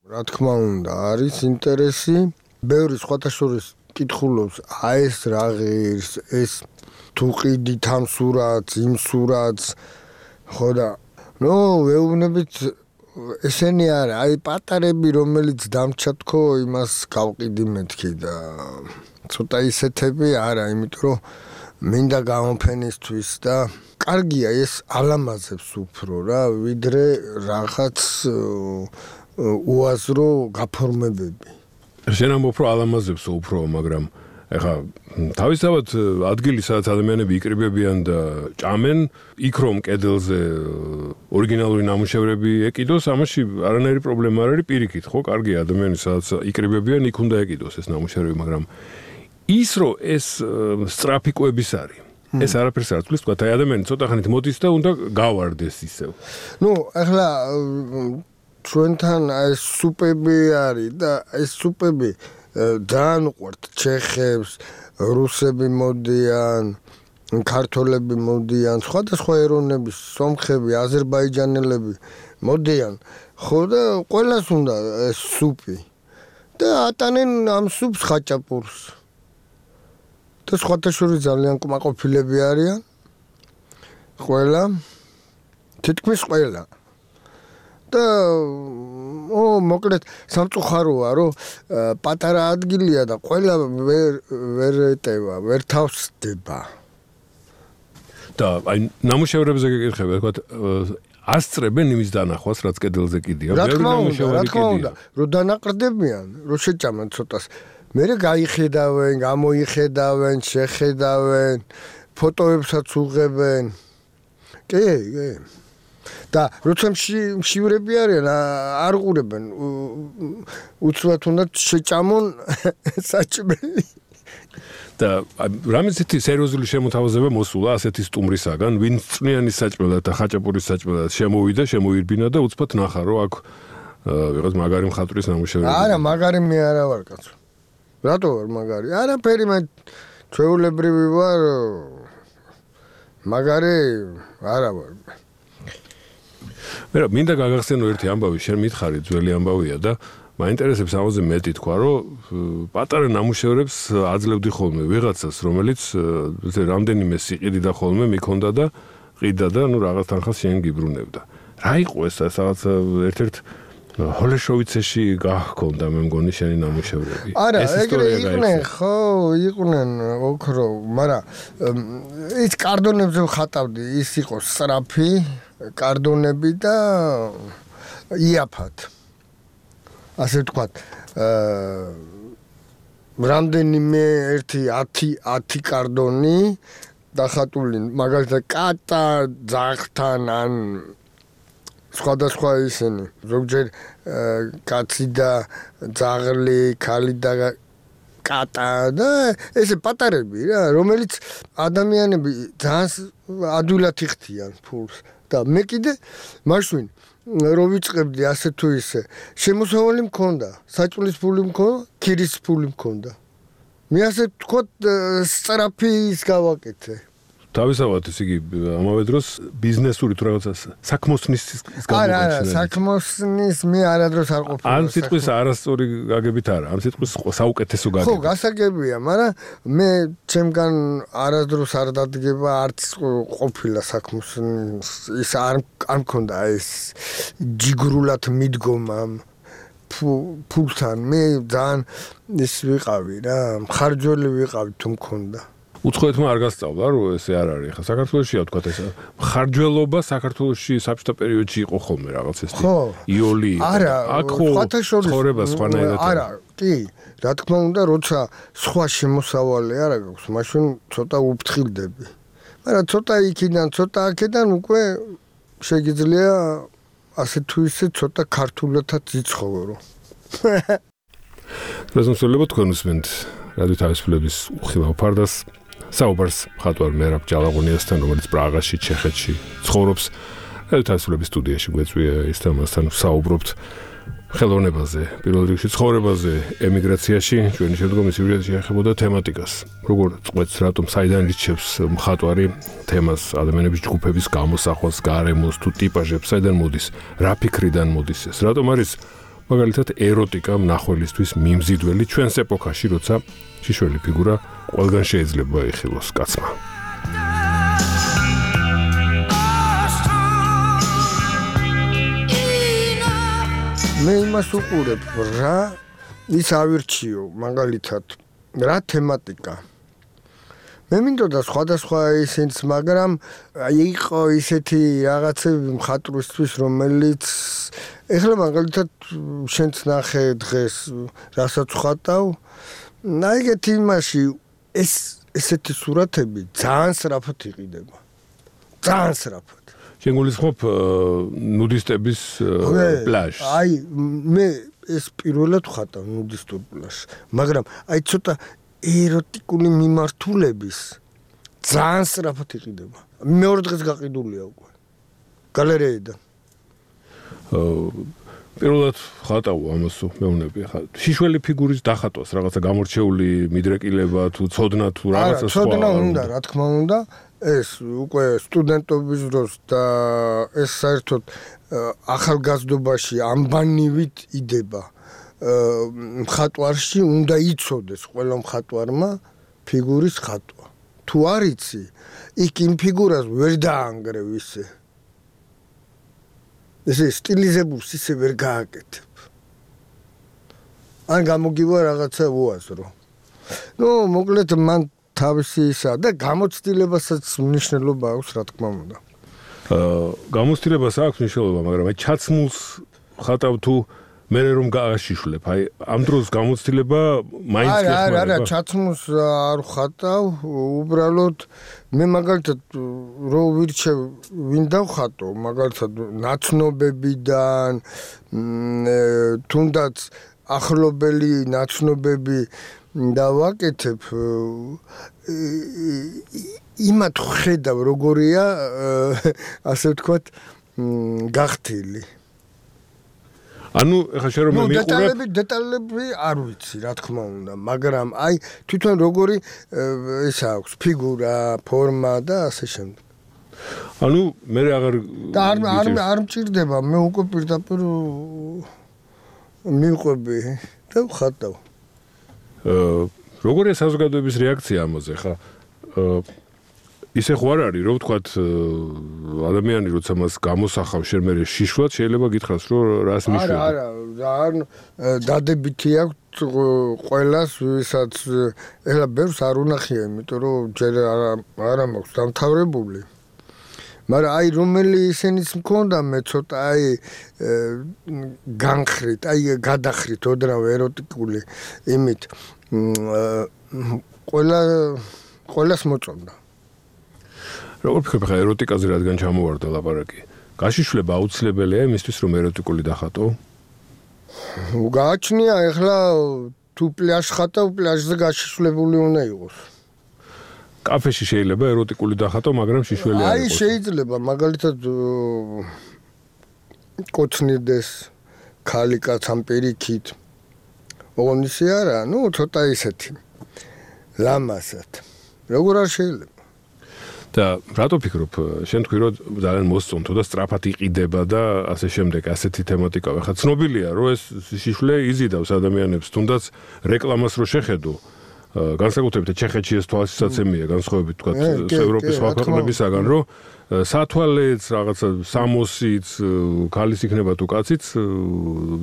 რა თქმა უნდა, არის ინტერესი. ბევრი სხვათა შორის კითხულობს, ეს რა ღირს, ეს თუ ყიდით ამ სურათს, იმ სურათს, ხო და ვეუბნებით ესენი არა, აი პატარები, რომელიც დამჩა თქო, იმას გავყიდი მეთქი და ცოტა ისეთები არა, იმიტომ რომ მინდა გამოფენისთვის და კარგია ეს ალამაზებს უფრო რა, ვიდრე რაღაც უაზრო გაფორმებები. შენ ამ უფრო ალამაზებს უფრო, მაგრამ ეხა თავისთავად ადგილი, სადაც ადამიანები იკრიბებიან და ჭამენ, იქ რომ კედელზე ორიგინალური ნამუშევრები ეკიდოს, ამაში არანაირი პრობლემა არ არის, პირიქით, ხო, კარგია ადამიანი, სადაც იკრიბებიან, იქ უნდა ეკიდოს ეს ნამუშევრები, მაგრამ ის რომ ეს სწრაფი კვების არის. ეს არაფერს არ თulis, თქვა, აი ადამიანი ცოტა ხანით მოდის და უნდა გავარდეს ისევ. ახლა ჩვენთან ეს სუპები არის და ეს სუპები ძალიან უყვართ ჩეხებს, რუსები მოდიან, ქართველები მოდიან, სხვადასხვა ეროვნების, სომხები, აზერბაიჯანელები მოდიან. ხო და ყველას უნდა ეს სუპი. და ატანენ ამ სუპს ხაჭაპურს. და სხვათა შორის ძალიან კმაყოფილები არიან. ყველა თითქმის ყველა. და მოკლედ სამწუხაროა რომ პატარა ადგილია და ყველა ვერ ეტევა, ვერ თავს დება. და აი ნამუშევრებზე გეკითხები, თქვათ ასწრებენ იმის დანახვას, რაც კედელზე კიდია. რა თქმა უნდა, რომ დანაყრდებიან, რომ შეჭამენ ცოტას. მერე გაიხედავენ, გამოიხედავენ, შეხედავენ, ფოტოებსაც უღებენ. კი. და როცა მშივრები არიან, არ ყურებენ. უცბად უნდა შეჭამონ საჭმელი. და რამე ისეთი სერიოზული შემოთავაზება მოსულა ასეთი სტუმრისაგან, ვინც წვნიანი საჭმელად და ხაჭაპურის საჭმელად შემოვიდა, შემოირბინა და უცბად ნახა, რომ აქ ვიღაც მაგარი მხატვრის ნამუშევრები. არა, მაგარი მე არა ვარ კაცო. რატო ვარ მაგარი? არაფერი მე ჩვეულებრივი ვარ. მაგარი არა ვარ. მე მინდა გაგახსენო ერთი ამბავი, შენ მითხარი ძველი ამბავია და მაინტერესებს ამაზე მეტი თქვა, რომ პატარა ნამუშევრებს აძლევდი ხოლმე ვიღაცას, რომელიც რამდენიმე სიყიდიდა ხოლმე მიქონდა და ყიდა და რაღაც თანხას შენ გიბრუნებდა. რა იყო ეს რაღაც ერთ-ერთ ჰოლეშოვიცეში გახონდა მე მგონი შენი ნამუშევრები. არა, ეგრე იყვნენ, ხო, იყვნენ ოქრო, მაგრამ ის კარდონებზე ვხატავდი, ის იყო სწრაფი კარდონები და იაფად. ასე ვთქვათ, რამდენიმე ერთი 10 კარდონი დახატული, მაგალითად კატა ძაღთან ან სხვადასხვა ისინი. ზოგჯერ კაცი და ძაღლი, ქალი და კატა და ესე პატარები რა, რომელიც ადამიანები ძალიან ადვილად იხდიან ფულს. და მე კიდე მაშინ რო ვიწყებდი ასე თუ ისე, შემოსავალი მქონდა, საჭმლის ფული მქონდა, ქირის ფული მქონდა. მე ასე ვთქვათ, სწრაფი ის გავაკეთე. თავისთავად ის იგი ამავე დროს ბიზნესური თუ რაღაცა საქმოსნის არა, საქმოსნის მე არადროს არ ყოფილა. ან სიტყვის არასწორი გაგებით არა, ან სიტყვის საუკეთესო გაგებით. ხო, გასაგებია, მაგრამ მე ჩემგან არადროს არ დადგება არც ყოფილა საქმოსნის ის არ მქონდა ეს ჯიგრულად მიდგომა ფულთან. მე ძალიან ის ვიყავი რა, მხარჯველი ვიყავი თუ მქონდა. უცხოეთმა არ გასწავლა, რომ ესე არ არის. ხა საქართველოშია თქვა ეს ხარჯველობა საქართველოში საბჭოთა პერიოდში იყო ხოლმე რაღაც ეს იოლი. არა, აქ ცხოვრება სხვანაირად. არა, კი, რა თქმა უნდა, როცა სხვა შემოსავალი არა გაქვს, მაშინ ცოტა უფრთხილდები. მაგრამ ცოტა იქიდან, ცოტა აქედან უკვე შეგიძლია ასე თუ ისე ცოტა ქართულადაც იცხოვრო. პრეზენტულება თქვენ უსმენთ რადიო თავისუფლების უხილავ ფარდას. საუბარს მხატვარ მერაბ ჯალაღონიასთან, რომელიც პრაღაში, ჩეხეთში ცხოვრობს. რადიო თავისუფლების სტუდიაში გვეწვია ის და მასთან ვსაუბრობთ ხელოვნებაზე, პირველ რიგში ცხოვრებაზე, ემიგრაციაში. ჩვენი შემდგომი სიუჟეტი ეხებოდა თემატიკას. როგორ წყვეტს, რატომ საიდან ირჩევს მხატვარი თემას, ადამიანების ჯგუფების გამოსახვას, გარემოს თუ ტიპაჟებს, საიდან მოდის, რა ფიქრიდან მოდის ეს, რატომ არის მაგალითად ეროტიკა მნახველისთვის მიმზიდველი ჩვენს ეპოქაში, როცა შიშველი ფიგურა ყველგან შეიძლება იხილოს კაცმა. მე იმას უყურებ, რა ის ავირჩიო, მაგალითად, რა თემატიკა. მე მინდოდა სხვადასხვა ისიც, მაგრამ იყო ისეთი რაღაცები მხატვრისთვის, რომელიც ეხლა მაგალითად შენც ნახე დღეს, რასაც ხატავ, ეგეთი იმაში ესეთი სურათები ძალიან სწრაფად იყიდება. ძალიან სწრაფად. შენ გულისხმობ ნუდისტების პლაჟს. აი, მე ეს პირველად ვხატავ ნუდისტურ პლაჟს, მაგრამ აი ცოტა ეროტიკული მიმართულების ძალიან სწრაფად იყიდება. მეორე დღეს გაყიდულია უკვე. გალერეიდან. პირველად ხატავ ამას მეუბნები ხა შიშველი ფიგურის დახატვას რაღაცა გამორჩეული მიდრეკილება თუ ცოდნა თუ რაღაცა სხვა ცოდნა უნდა რა თქმა უნდა ეს უკვე სტუდენტობის დროს და ეს საერთოდ ახალგაზრდობაში ამბანივით იდება მხატვარში უნდა იცოდეს ყველა მხატვარმა ფიგურის ხატვა თუ არ იცი იქ იმ ფიგურას ვერ დაანგრევ ისე ესე სტილიზებულს ისე ვერ გააკეთებ ან გამოგივა რაღაცა უაზრო მოკლედ მან თავისი ისა და გამოცდილებასაც მნიშვნელობა აქვს რა თქმა უნდა გამოცდილებას აქვს მნიშვნელობა მაგრამ აი ჩაცმულს ხატავ თუ მე რომ გააშიშვლებ აი ამ დროს გამოცდილება მაინც გეხმარება არა ჩაცმულს არ ხატავ უბრალოდ მე მაგალითად რო ვირჩევ ვინ დავხატო მაგალითად ნაცნობებიდან თუნდაც ახლობელი ნაცნობები დავაკეთებ იმათ ხედავ როგორია ასე ვთქვათ გახთილი ანუ ეხლა შენ რომ მიყურებ დეტალები არ ვიცი რა თქმა უნდა მაგრამ აი თვითონ როგორი ეს აქვს ფიგურა ფორმა და ასე შემდეგ ანუ მე აღარ და არ მჭირდება მე უკვე პირდაპირ მივყვები და ვხატავ როგორია საზოგადოების რეაქცია ამაზე ხა ისე ხო არ არის რომ ვთქვათ ადამიანი როცა მას გამოსახავს შენ მე შიშვად შეიძლება გითხრას რომ რას მიშვება არა დადებითი აქვს ყველას ვისაც ეხლა ბევრს არ უნახია იმიტომ რომ ჯერ არა მაქვს დამთავრებული მაგრამ აი რომელი ისენიც მქონდა მე ცოტა აი განხრით აი გადახრით ოდნავ ეროტიკული იმით ყველას მოწონდა როგორ ფიქრობ ხა ეროტიკაზე რადგან ჩამოვარდა ლაპარაკი გაშიშვლება აუცილებელია იმისთვის რომ ეროტიკული დახატო გააჩნია ეხლა თუ პლაჟს ხატავ პლაჟზე გაშიშვლებული უნდა იყოს კაფეში შეიძლება ეროტიკული დახატო მაგრამ შიშველი არ აი იყოს შეიძლება მაგალითად კოცნიდეს ქალი კაც ამ პირიქით ოღონდ ისე არა ნუ ცოტა ისეთი ლამაზად როგორ არ შეიძლება და რატო ფიქრობ შენ თქვი რომ ძალიან მოსწონთო და სწრაფად იყიდება და ასე შემდეგ ასეთი თემატიკა ხა ცნობილია რომ ეს შიშველი იზიდავს ადამიანებს თუნდაც რეკლამას რო შეხედო განსაკუთრებით ჩეხეთში ეს თვალსაჩინოა განსხვავებით თქვა ევროპის სხვა ქვეყნებისაგან რომ სათვალეც რაღაცა სამოსიც ქალის იქნება თუ კაციც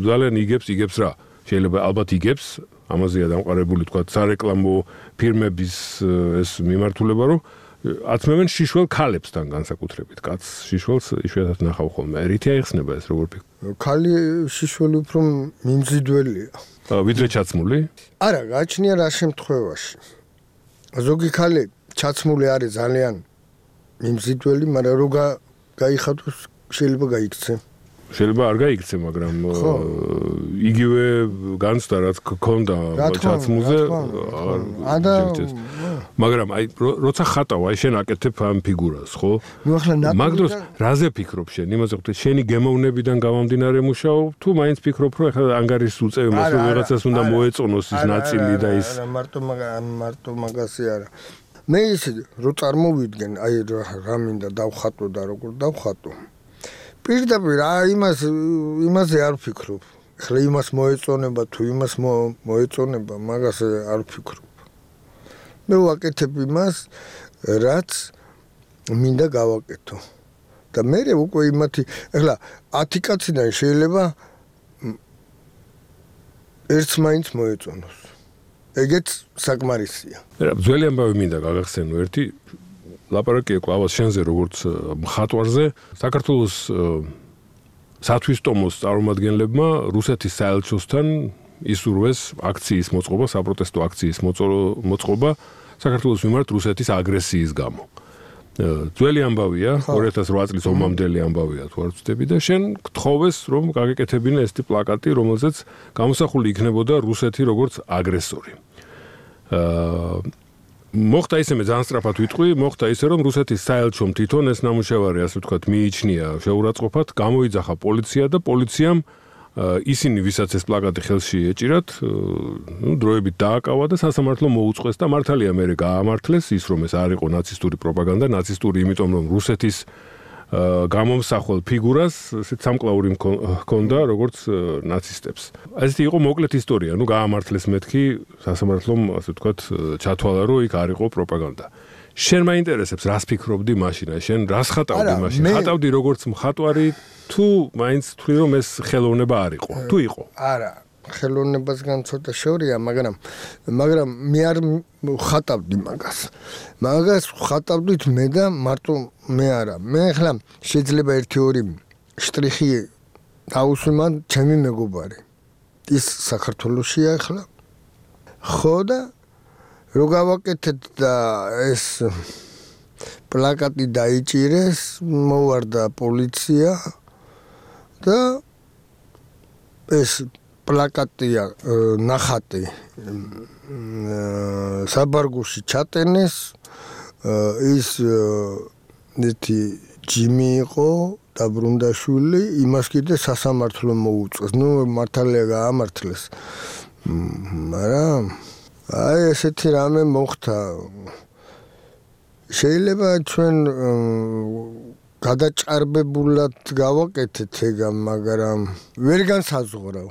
ძალიან იგებს რა შეიძლება ალბათ იგებს ამაზეა დამყარებული თქვა სარეკლამო ფირმების ეს მიმართულება რომ აცმევენ შიშველ ქალებსთან განსაკუთრებით კაც შიშველს იშვიათად ნახავ ხოლმე რითი აიხსნება ეს როგორ ფიქრობ ქალი შიშველი უფრო მიმზიდველია ვიდრე ჩაცმული არა გააჩნია რა შემთხვევაში ზოგი ქალი ჩაცმული არის ძალიან მიმზიდველი მაგრამ რო გაიხატოს შეიძლება გაიქცე შეიძლება არ გაიქცე მაგრამ იგივე განცდა რაც გქონდა ჩაცმულზე მაგრამ აი როცა ხატავ აი შენ აკეთებ ამ ფიგურას ხო მაგ დროს რაზე ფიქრობ შენ იმაზე ვთქვი შენი გემოვნებიდან გამომდინარე მუშაობ თუ მაინც ფიქრობ რომ ახლა ანგარიშს უწევი მას რომ რაღაცას უნდა მოეწონოს ის ნაწილი და ის მარტო მაგასი არა მე ისე რო წარმოვიდგენ აი რა მინდა დავხატო და როგორ დავხატო პირდაპირ იმაზე არ ვფიქრობ. ახლა იმას მოეწონება თუ იმას მოეწონება, მაგას არ ვფიქრობ. მე ვაკეთებ იმას, რაც მინდა გავაკეთო. და მე უკვე იმათი, ახლა 10 კაციდან შეიძლება ერთს მაინც მოეწონოს. ეგეც საკმარისია. ძველი ამბავი მინდა გაგახსენო ერთი ლაპარაკია კლავას შენზე როგორც მხატვარზე საქართველოს სათვისტომოს წარმომადგენლებმა რუსეთის საელჩოსთან ისურვეს აქციის მოწყობა საპროტესტო აქციის მოწყობა საქართველოს მიმართ რუსეთის აგრესიის გამო ძველი ამბავია 2008 წლის ომამდელი ამბავია თუ არ ვცდები და შენ გთხოვეს რომ გაგეკეთებინა ესეთი პლაკატი რომელზეც გამოსახული იქნებოდა რუსეთი როგორც აგრესორი მოხდა ისე მე ძალიან სწრაფად ვიტყვი, მოხდა ისე რომ რუსეთის საელჩომ თვითონ ეს ნამუშევარი ასე ვთქვათ მიიჩნია შეურაცხყოფად, გამოიძახა პოლიცია და პოლიციამ ისინი ვისაც ეს პლაკატი ხელში ეჭირათ, დროებით დააკავა და სასამართლო მოუწყვეს და მართალია მე გაამართლეს ის რომ ეს არ იყო ნაცისტური პროპაგანდა, ნაცისტური იმიტომ რომ რუსეთის გამომსახვალ ფიგურას სამკლაური ჰქონდა როგორც ნაცისტებს. ესეთი იყო მოკლედ ისტორია, გაამართლეს მეთქი სასამართლომ ასე ვთქვათ ჩათვალა რომ იქ არ იყო პროპაგანდა. შენ მაინტერესებს რას ფიქრობდი მაშინ? შენ რას ხატავდი მაშინ? ხატავდი როგორც მხატვარი თუ მაინც თქვი რომ ეს ხელოვნება არ იყო? თუ იყო? არა, ხელოვნებასგან ცოტა შორია, მაგრამ მე არ ხატავდი მაგას. მაგას ხატავდით მე და მარტო მე არა. მე ახლა შეიძლება 1-2 შტრიხი დავუსვი მან ჩემი მეგობარი. ის საქართველოშია ახლა. ხო და რო გავაკეთეთ და ეს პლაკატი დაიჭირეს, მოვარდა პოლიცია და ეს პლაკატია ნახატი საბარგულში ჩატენეს, ის ნეთი ჯიმი იყო დაბრუნდაშვილი, იმას კიდე სასამართლო მოუწეს. მართალია გაამართლეს. მაგრამ აი ესეთი რამე მოხდა. შეიძლება ჩვენ გადაჭარბებულად გავაკეთეთ ეგა, მაგრამ ვერ განსაზღვრავ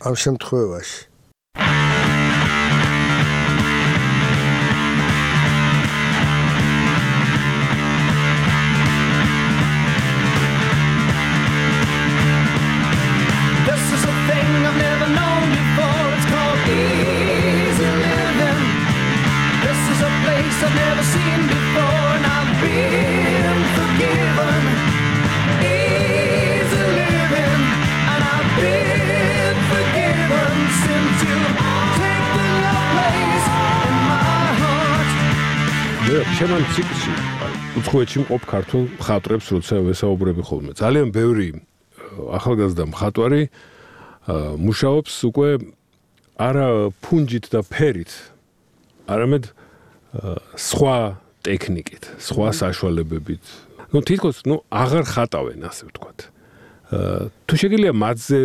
ამ შემთხვევაში. შემან ციკლში უცხოეთში მყოფ ქართულ მხატვრებს როცა ვესაუბრები ხოლმე. ძალიან ბევრი ახალგაზრდა მხატვარი მუშაობს უკვე არა ფუნჯით და ფერით, არამედ სხვა ტექნიკით, სხვა საშუალებებით. თითქოს აღარ ხატავენ, ასე ვთქვათ. თუ შეგიძლია მათზე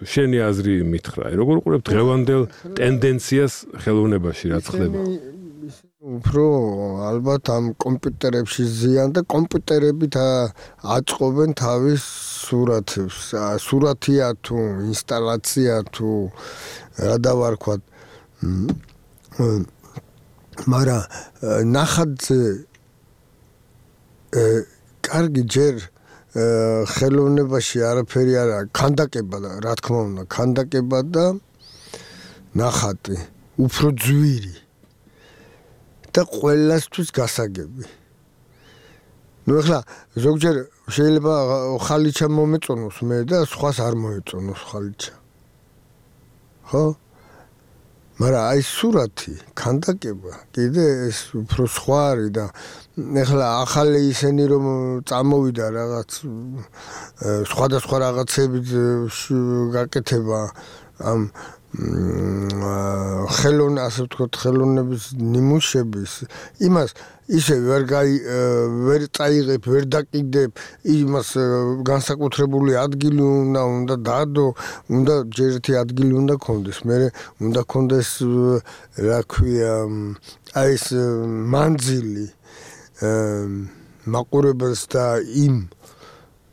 შენი აზრი მითხრა, როგორ უყურებ დღევანდელ ტენდენციას ხელოვნებაში, რაც ხდება? უფრო ალბათ ამ კომპიუტერებში ზიან და კომპიუტერებით აწყობენ თავის სურათებს. სურათია თუ ინსტალაცია თუ რა დავარქვათ. მაგრამ ნახატზე კარგი ჯერ ხელოვნებაში არაფერი არა, ქანდაკება და რა თქმა უნდა, ქანდაკება და ნახატი უფრო ძვირი. და ყველასთვის გასაგები. ახლა ზოგჯერ შეიძლება ხალიჩა მომეწონოს მე და სხვას არ მოეწონოს ხალიჩა. ხო? მაგრამ აი სურათი, ქანდაკება, კიდე ეს უფრო სხვა არის და ახლა ახალი ისენი რომ წამოვიდა რაღაც სხვადასხვა რაღაცებით გაკეთება ამ ასე ვთქვათ, ხელოვნების ნიმუშების იმას ისე ვერ წაიღებ, ვერ დაკიდებ, იმას განსაკუთრებული ადგილი უნდა დადო, უნდა ჯერ ერთი ადგილი უნდა ქონდეს, მერე უნდა ქონდეს რა ქვია, აი ეს მანძილი მაყურებელს და იმ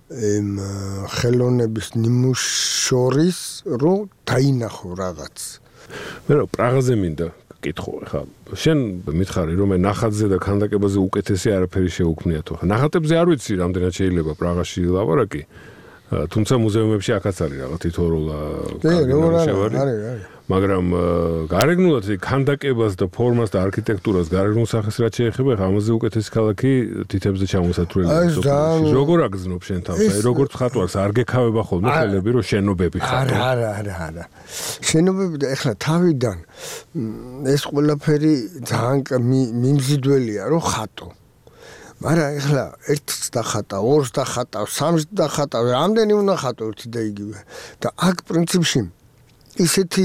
ხელოვნების ნიმუშ შორის რომ დაინახო რაღაც. მე რა პრაღაზე მინდა კითხო, ხა შენ მითხარი რომ მე ნახატზე და ქანდაკებაზე უკეთესი არაფერი შეუქმნიათო. ხა ნახატებზე არ ვიცი რამდენად შეიძლება პრაღაში ლაპარაკი, თუმცა მუზეუმებში აქაც არის რაღაც თითოეულა არის. მაგრამ გარეგნულად ქანდაკებას და ფორმას და არქიტექტურას გარეგნულ სახეს რაც შეეხება, ხა ამაზე უკეთესი ქალაქი თითებზე ჩამოსათვლელი. როგორ აგზნობ შენ თავს? აი როგორ ხატვარს არ გექავება ხოლმე ხელები რომ შენობები ხატო? არა. შენობები და ეხლა თავიდან ეს ყველაფერი ძალიან მიმზიდველია რომ ხატო. მაგრამ ეხლა ერთს დახატავ, ორს დახატავ, სამს დახატავ, რამდენი უნდა ხატო ერთი და იგივე. და აქ პრინციპში ისეთი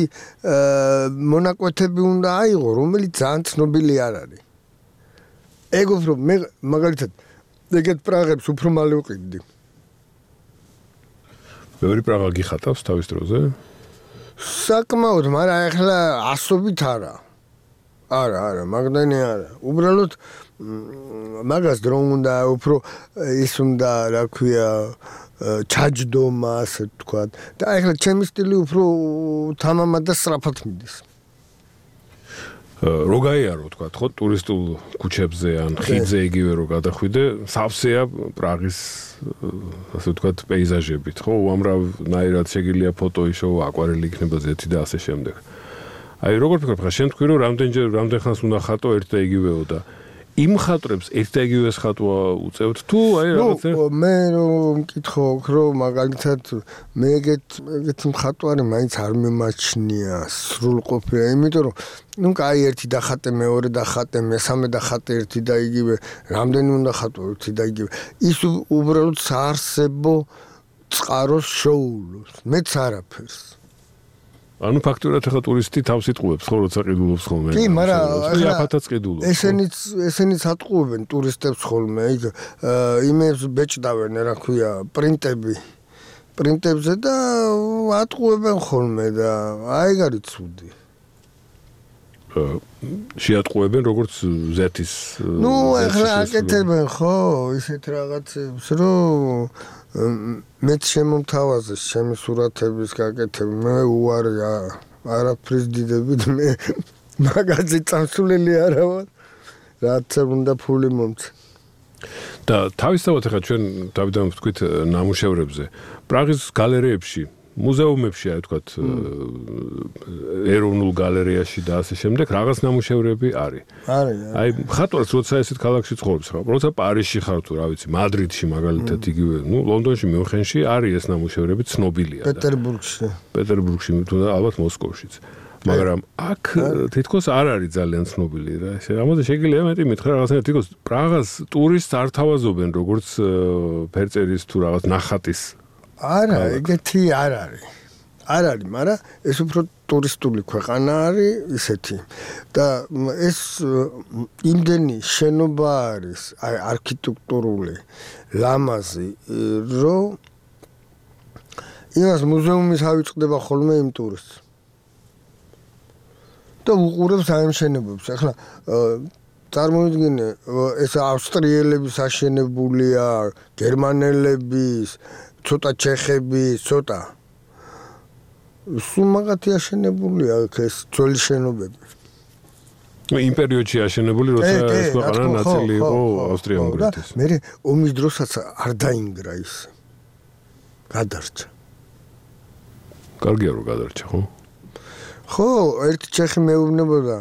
მონაკვეთები უნდა აიღო, რომელიც ძალიან ცნობილი არ არის. ეგ უფრო მე მაგალითად ეგეთ პრაღებს უფრო მალე ვყიდდი. ბევრი პრაღა გიხატავს თავის დროზე? საკმაოდ, მაგრამ ახლა ასობით არა. არა, მაგდენი არა. უბრალოდ მაგას დრო უნდა უფრო ის უნდა, რა ქვია, ჩაჯდომა, ასე თქვა. და ახლა ჩემი სტილი უფრო თამამად და სწრაფად მიდის. რო გაიარო, თქვა, ხო, ტურისტულ ქუჩებზე ან ხიდზე იგივე რო გადახვიდე, სავსეა პრაღის, ასე ვთქვათ, პეიზაჟებით, ხო, უამრავნაირად შეგიძლია ფოტო იშო, აკვარელი იქნება ზეთი და ასე შემდეგ. აი, როგორ ფიქრობ, ხა შენ თქვი, რომ რამდენ ხანს უნდა ხატო ერთ და იგივეო და იმ ხატრებს ერთ და იგივეს ხატვა უწევთ თუ აი რაღაცა? მე რომ მკითხო, რომ მაგალითად მე ეგეთი მხატვარი მაინც არ მიმაჩნია სრულყოფილი, იმიტომ რომ კაი ერთი დახატე, მეორე დახატე, მესამე დახატე ერთი და იგივე, რამდენი უნდა ხატო ერთი და იგივე. ის უბრალოდ საარსებო წყაროს შოულობს, მეც არაფერს. ანუ ფაქტურად ახლა ტურისტი თავს იტყუებს, ხო, როცა ყიდულობს ხოლმე. კი, მაგრამ იაფათაც ყიდულობს. ესენიც ატყუებენ ტურისტებს ხოლმე, იქ იმებს ბეჭდავენ, რა ქვია, პრინტებზე და ატყუებენ ხოლმე და აი გარი ცუდი. შეატყუებენ როგორც ზეთის. ახლა აკეთებენ ხო, ისეთ რაღაცებს, რომ მეც შემომთავაზეს ჩემი სურათების გაკეთება, მე უარი არაფრის დიდებით, მე მაგაზე წამსვლელი არა ვარ, რაც უნდა ფული მომწე. და თავისთავად ახლა ჩვენ დავიდან ვთქვით ნამუშევრებზე, პრაღის გალერეებში, მუზეუმებში, აი ვთქვათ, ეროვნულ გალერეაში და ასე შემდეგ, რაღაც ნამუშევრები არის. აი, ხატვაც როცა ესეთ ქალაქში ცხოვრობს, როცა პარიზში ხარ თუ, რა ვიცი, მადრიდში მაგალითად იგივე, ლონდონში, მიუნხენში არის ეს ნამუშევრები ცნობილია. პეტერბურგში, თუნდაც ალბათ მოსკოვშიც. მაგრამ აქ თითქოს არ არის ძალიან ცნობილი რა. ამაზე შეგიძლია მეტი მითხრა რაღაცა თითქოს პრაღას ტურისტს არ თავაზობენ როგორც ფერწერის თუ რაღაც ნახატის. არა, ეგეთი არ არის. არ არის, მაგრამ ეს უფრო ტურისტული ქვეყანა არის ისეთი. და ეს იმდენი შენობა არის, აი არქიტექტურული, ლამაზი, რომ იმას მუზეუმის ავიწყდება ხოლმე იმ ტურისტს. და უყურებს აი ამ შენობებს. ახლა წარმოვიდგინე, ეს ავსტრიელების აშენებულია, გერმანელების, ცოტა ჩეხების, ცოტა. სულ მაგათი აშენებულია ეს ძველი შენობები. იმ პერიოდში აშენებული, როცა ეს ქვეყანა ნაწილი იყო ავსტრია-უნგრეთის. მე ომის დროსაც არ დაინგრა ის. გადარჩა. კარგია რომ გადარჩა, ხო? ხო, ერთი ჩეხი მეუბნებოდა,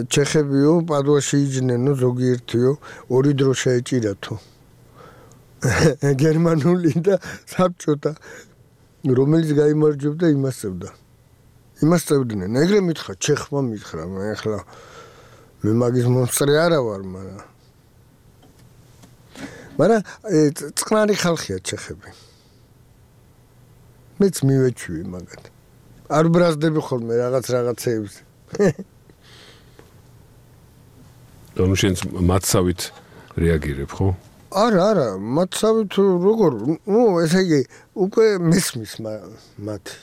ჩეხებიო, პადუაში იჯნენო, ზოგიერთიო, ორი დრო შეეჭირათო. გერმანული და საბჭოთა, რომელიც გაიმარჯვებდა, იმას წევდნენ. ეგრე მითხრა, ჩეხმა მითხრა, მე ახლა მე მაგის მონსტრი არა ვარ, მაგრამ წყნარი ხალხია ჩეხები. მეც მივეჩვი მაგათ. არ ბრაზდები ხოლმე რაღაცეებს. ანუ შენც მათსავით რეაგირებ, ხო? არა, მათსავით როგორ, ესე იგი, უკვე მესმის მათი.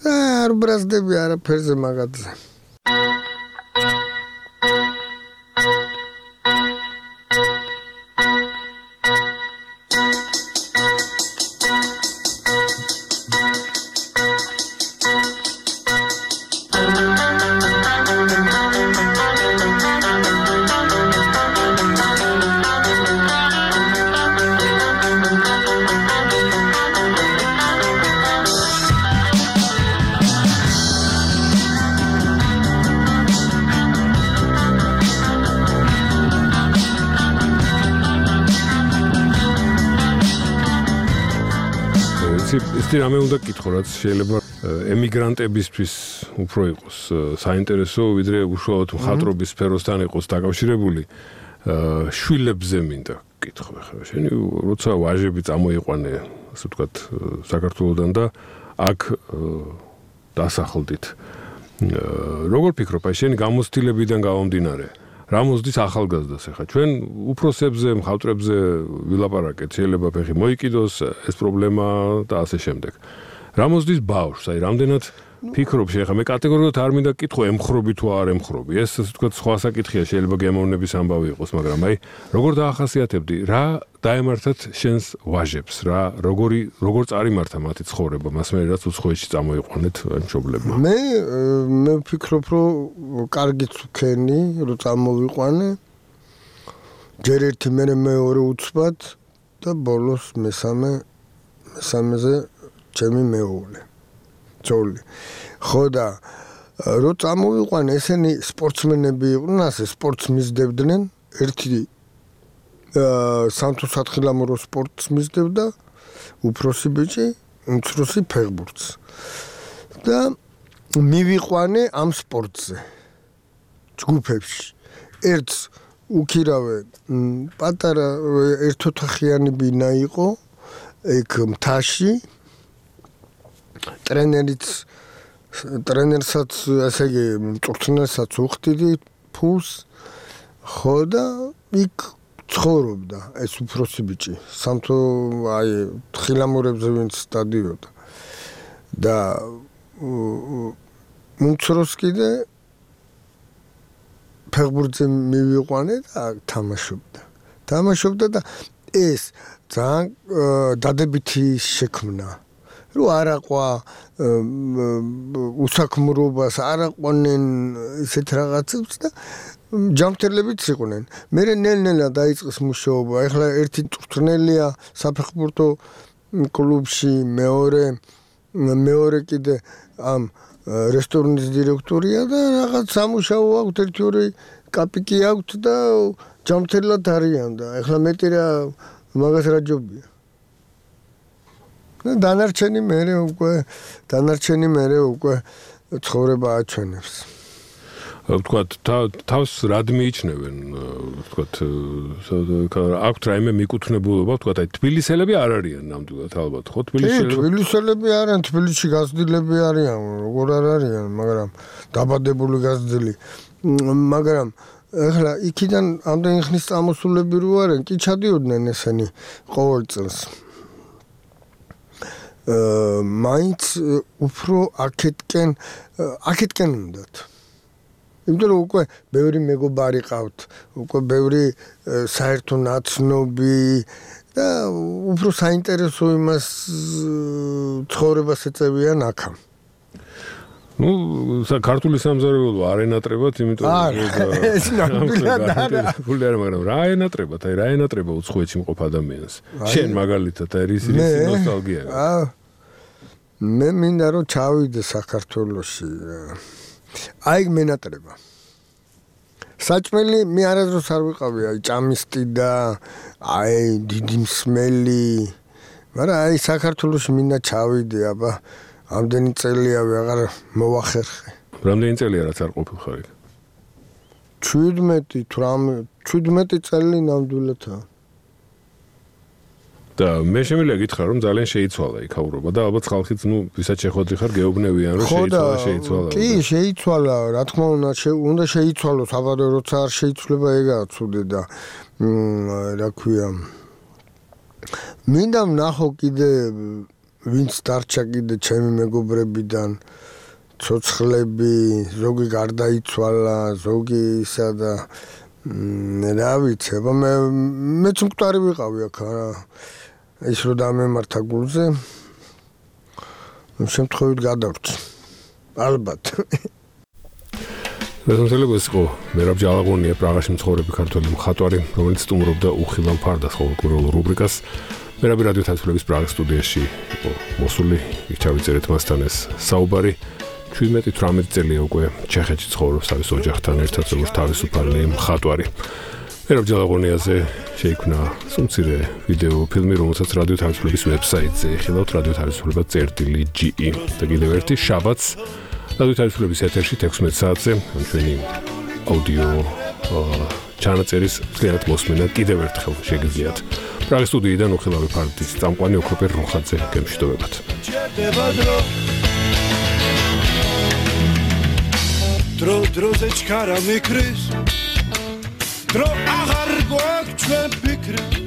არ ბრაზდები არაფერზე მაგათზე. ისეთი რამე უნდა გკითხო, რაც შეიძლება ემიგრანტებისთვის უფრო იყოს საინტერესო, ვიდრე უშუალოდ მხატვრობის სფეროსთან იყოს დაკავშირებული. შვილებზე მინდა გკითხო ახლა. შენი როცა ვაჟები წამოიყვანე, ასე ვთქვათ, საქართველოსდან და აქ დასახლდით. როგორ ფიქრობ, აი შენი გამოცდილებიდან გამომდინარე, რა მოსდის ახალგაზრდას ახლა ჩვენ უფროსებზე, მხატვრებზე ვილაპარაკეთ, შეიძლება ფეხი მოიკიდოს ეს პრობლემა და ასე შემდეგ. რა მოსდის ბავშვს, აი რამდენად ფიქრობ შეხა მე კატეგორიულად არ მინდა კითხო ემხრობი თუ არ ემხრობი. ეს ასე ვთქვათ სხვა საკითხია, შეიძლება გემოვნების ამბავი იყოს, მაგრამ აი როგორ დაახასიათებდი, რა დაემართათ შენს ვაჟებს, რა როგორ წარიმართა მათი ცხოვრება, მას მე რაც უცხოეთში წამოიყვანეთ მშობლებმა. მე ვფიქრობ, რომ კარგიც ვქენი, რომ წამოვიყვანე. ჯერ ერთი მერე მეორე უცბად და ბოლოს მესამეზე ჩემი მეუღლე. ძოლი. ხო და რო წამოვიყვანე, ესენი სპორტსმენები იყვნენ, ასე სპორტს მისდევდნენ, ერთი სამთო-სათხილამურო სპორტს მისდევდა, უფროსი ბიჭი, უმცროსი ფეხბურთს. და მივიყვანე ამ სპორტზე. ჯგუფებში. ერთს უკირავე პატარა ერთოთახიანი ბინა იყო, ეგ მთაში ტრენერსაც, ასე იგი, მწვრთნელსაც უხდიდი ფულს, ხო და იქ ცხოვრობდა ეს უფროსი ბიჭი, სამთო აი თხილამურებზე ვინც დადიოდა. და უმცროს კიდე ფეხბურთზე მივიყვანე და თამაშობდა და ეს ძალიან დადებითი შექმნა. რო არაყვა უსაქმრობას, არაყვნენ ისეთ რაღაცებს და ჯამთერლებიც იყვნენ. მე ნელ-ნელა დაიწყეს მუშაობა. ეხლა ერთი მწვრთნელია საფეხბურთო კლუბში, მეორე კიდე ამ რესტორნის დირექტორია და რაღაც სამუშაო აქვს, ერთი-ორი კაპიკი აქვს და ჯამთერლად არიან და ეხლა მეტი რა მაგას რა ჯობია. დანარჩენი მერე უკვე ცხოვრება აჩვენებს. ვთქვათ, თავს რად მიიჩნევენ, ვთქვათ, აქვთ რაიმე მიკუთვნებულობა, ვთქვათ, აი თბილისელები არ არიან ნამდვილად ალბათ, ხო? თბილისელები არიან, თბილისში გაზრდილები არიან, როგორ არ არიან, მაგრამ დაბადებული გაზრდილი. მაგრამ ეხლა იქიდან ამდენი ხნის წამოსულები რო არიან, კი ჩადიოდნენ ესენი ყოველ წელს. მაინც უფრო აქეთკენ უნდათ. იმიტომ რომ უკვე ბევრი მეგობარი ყავთ, უკვე ბევრი საერთო ნაცნობი და უფრო საინტერესო იმას ცხოვრებას ეწევიან აქამ. Ну, ქართული სამზარეულო არ ენატრებათ, იმიტომ ეს ნამდვილად არა. მაგრამ რა ენატრებათ, აი რა ენატრება უცხოეთში მყოფ ადამიანს. შენ მაგალითად აი რის ნოსტალგია. მე მინდა რომ ჩავიდე საქართველოში. აი მენატრება. საჭმელი მე არასდროს არ ვიყავი, აი ჭამისტი და აი დიდი მსმელი. მაგრამ აი საქართველოში მინდა ჩავიდე, აბა ამდენი წელია ვეღარ მოვახერხე. რამდენი წელია რაც არ ყოფილხარ იქ? 17 წელი ნამდვილადაა. და მე შემიძლია გითხრა რომ ძალიან შეიცვალა იქ აურობა და ალბათ ხალხიც ვისაც შეხვედრი ხარ გეუბნებიან რომ შეიცვალა. კი, შეიცვალა, რა თქმა უნდა შეიცვალოს, აბა როცა არ შეიცვლება ეგაა ცუდი და რა ქვია. მინდა ვნახო კიდე ვინც დარჩა კიდე ჩემი მეგობრებიდან ცოცხლები, ზოგი გარდაიცვალა, ზოგი ისა და რა ვიცი, აბა მეც მკვდარი ვიყავი აქ რა. ის რო დამემართა გულზე, შემთხვევით გადავრჩი. ალბათ. რეზონსელებს იყო მერაბ ჯალაღონია პრაღაში მცხოვრები ქართველი მხატვარი, რომელიც სტუმრობდა უხილავ ფარდას ყოველკვირეულ რუბრიკას. მერაბი რადიო თასვლების პრაღის სტუდიაში იყო მოსული, იქ ჩავიწერეთ მასთან ეს საუბარი. 17-18 წელია უკვე ჩეხეთში ცხოვრობს თავის ოჯახთან ერთად, როგორც თავისუფალი მხატვარი. მერაბ ჯალაღონიაზე შეიქმნა სუმცირე ვიდეო ფილმი, რომელსაც რადიო თასვლების ვებსაიტზე ეხილავთ radio.ge და კიდევ ერთი შაბათს რადიო თასვლების ეთერში 16 საათზე ჩვენი აუდიო ჩანაწერის მთლიანად მოსმენა კიდევ ერთხელ შეგიძლიათ. პრაღის სტუდიიდან უხილავი ფარდის წამყვანი ოქროპერ რუხაძე გემშვიდობებათ. დრო დროზე ჩქარა მიქრის დრო აღარ გვაქვს ჩვენ ფიქრები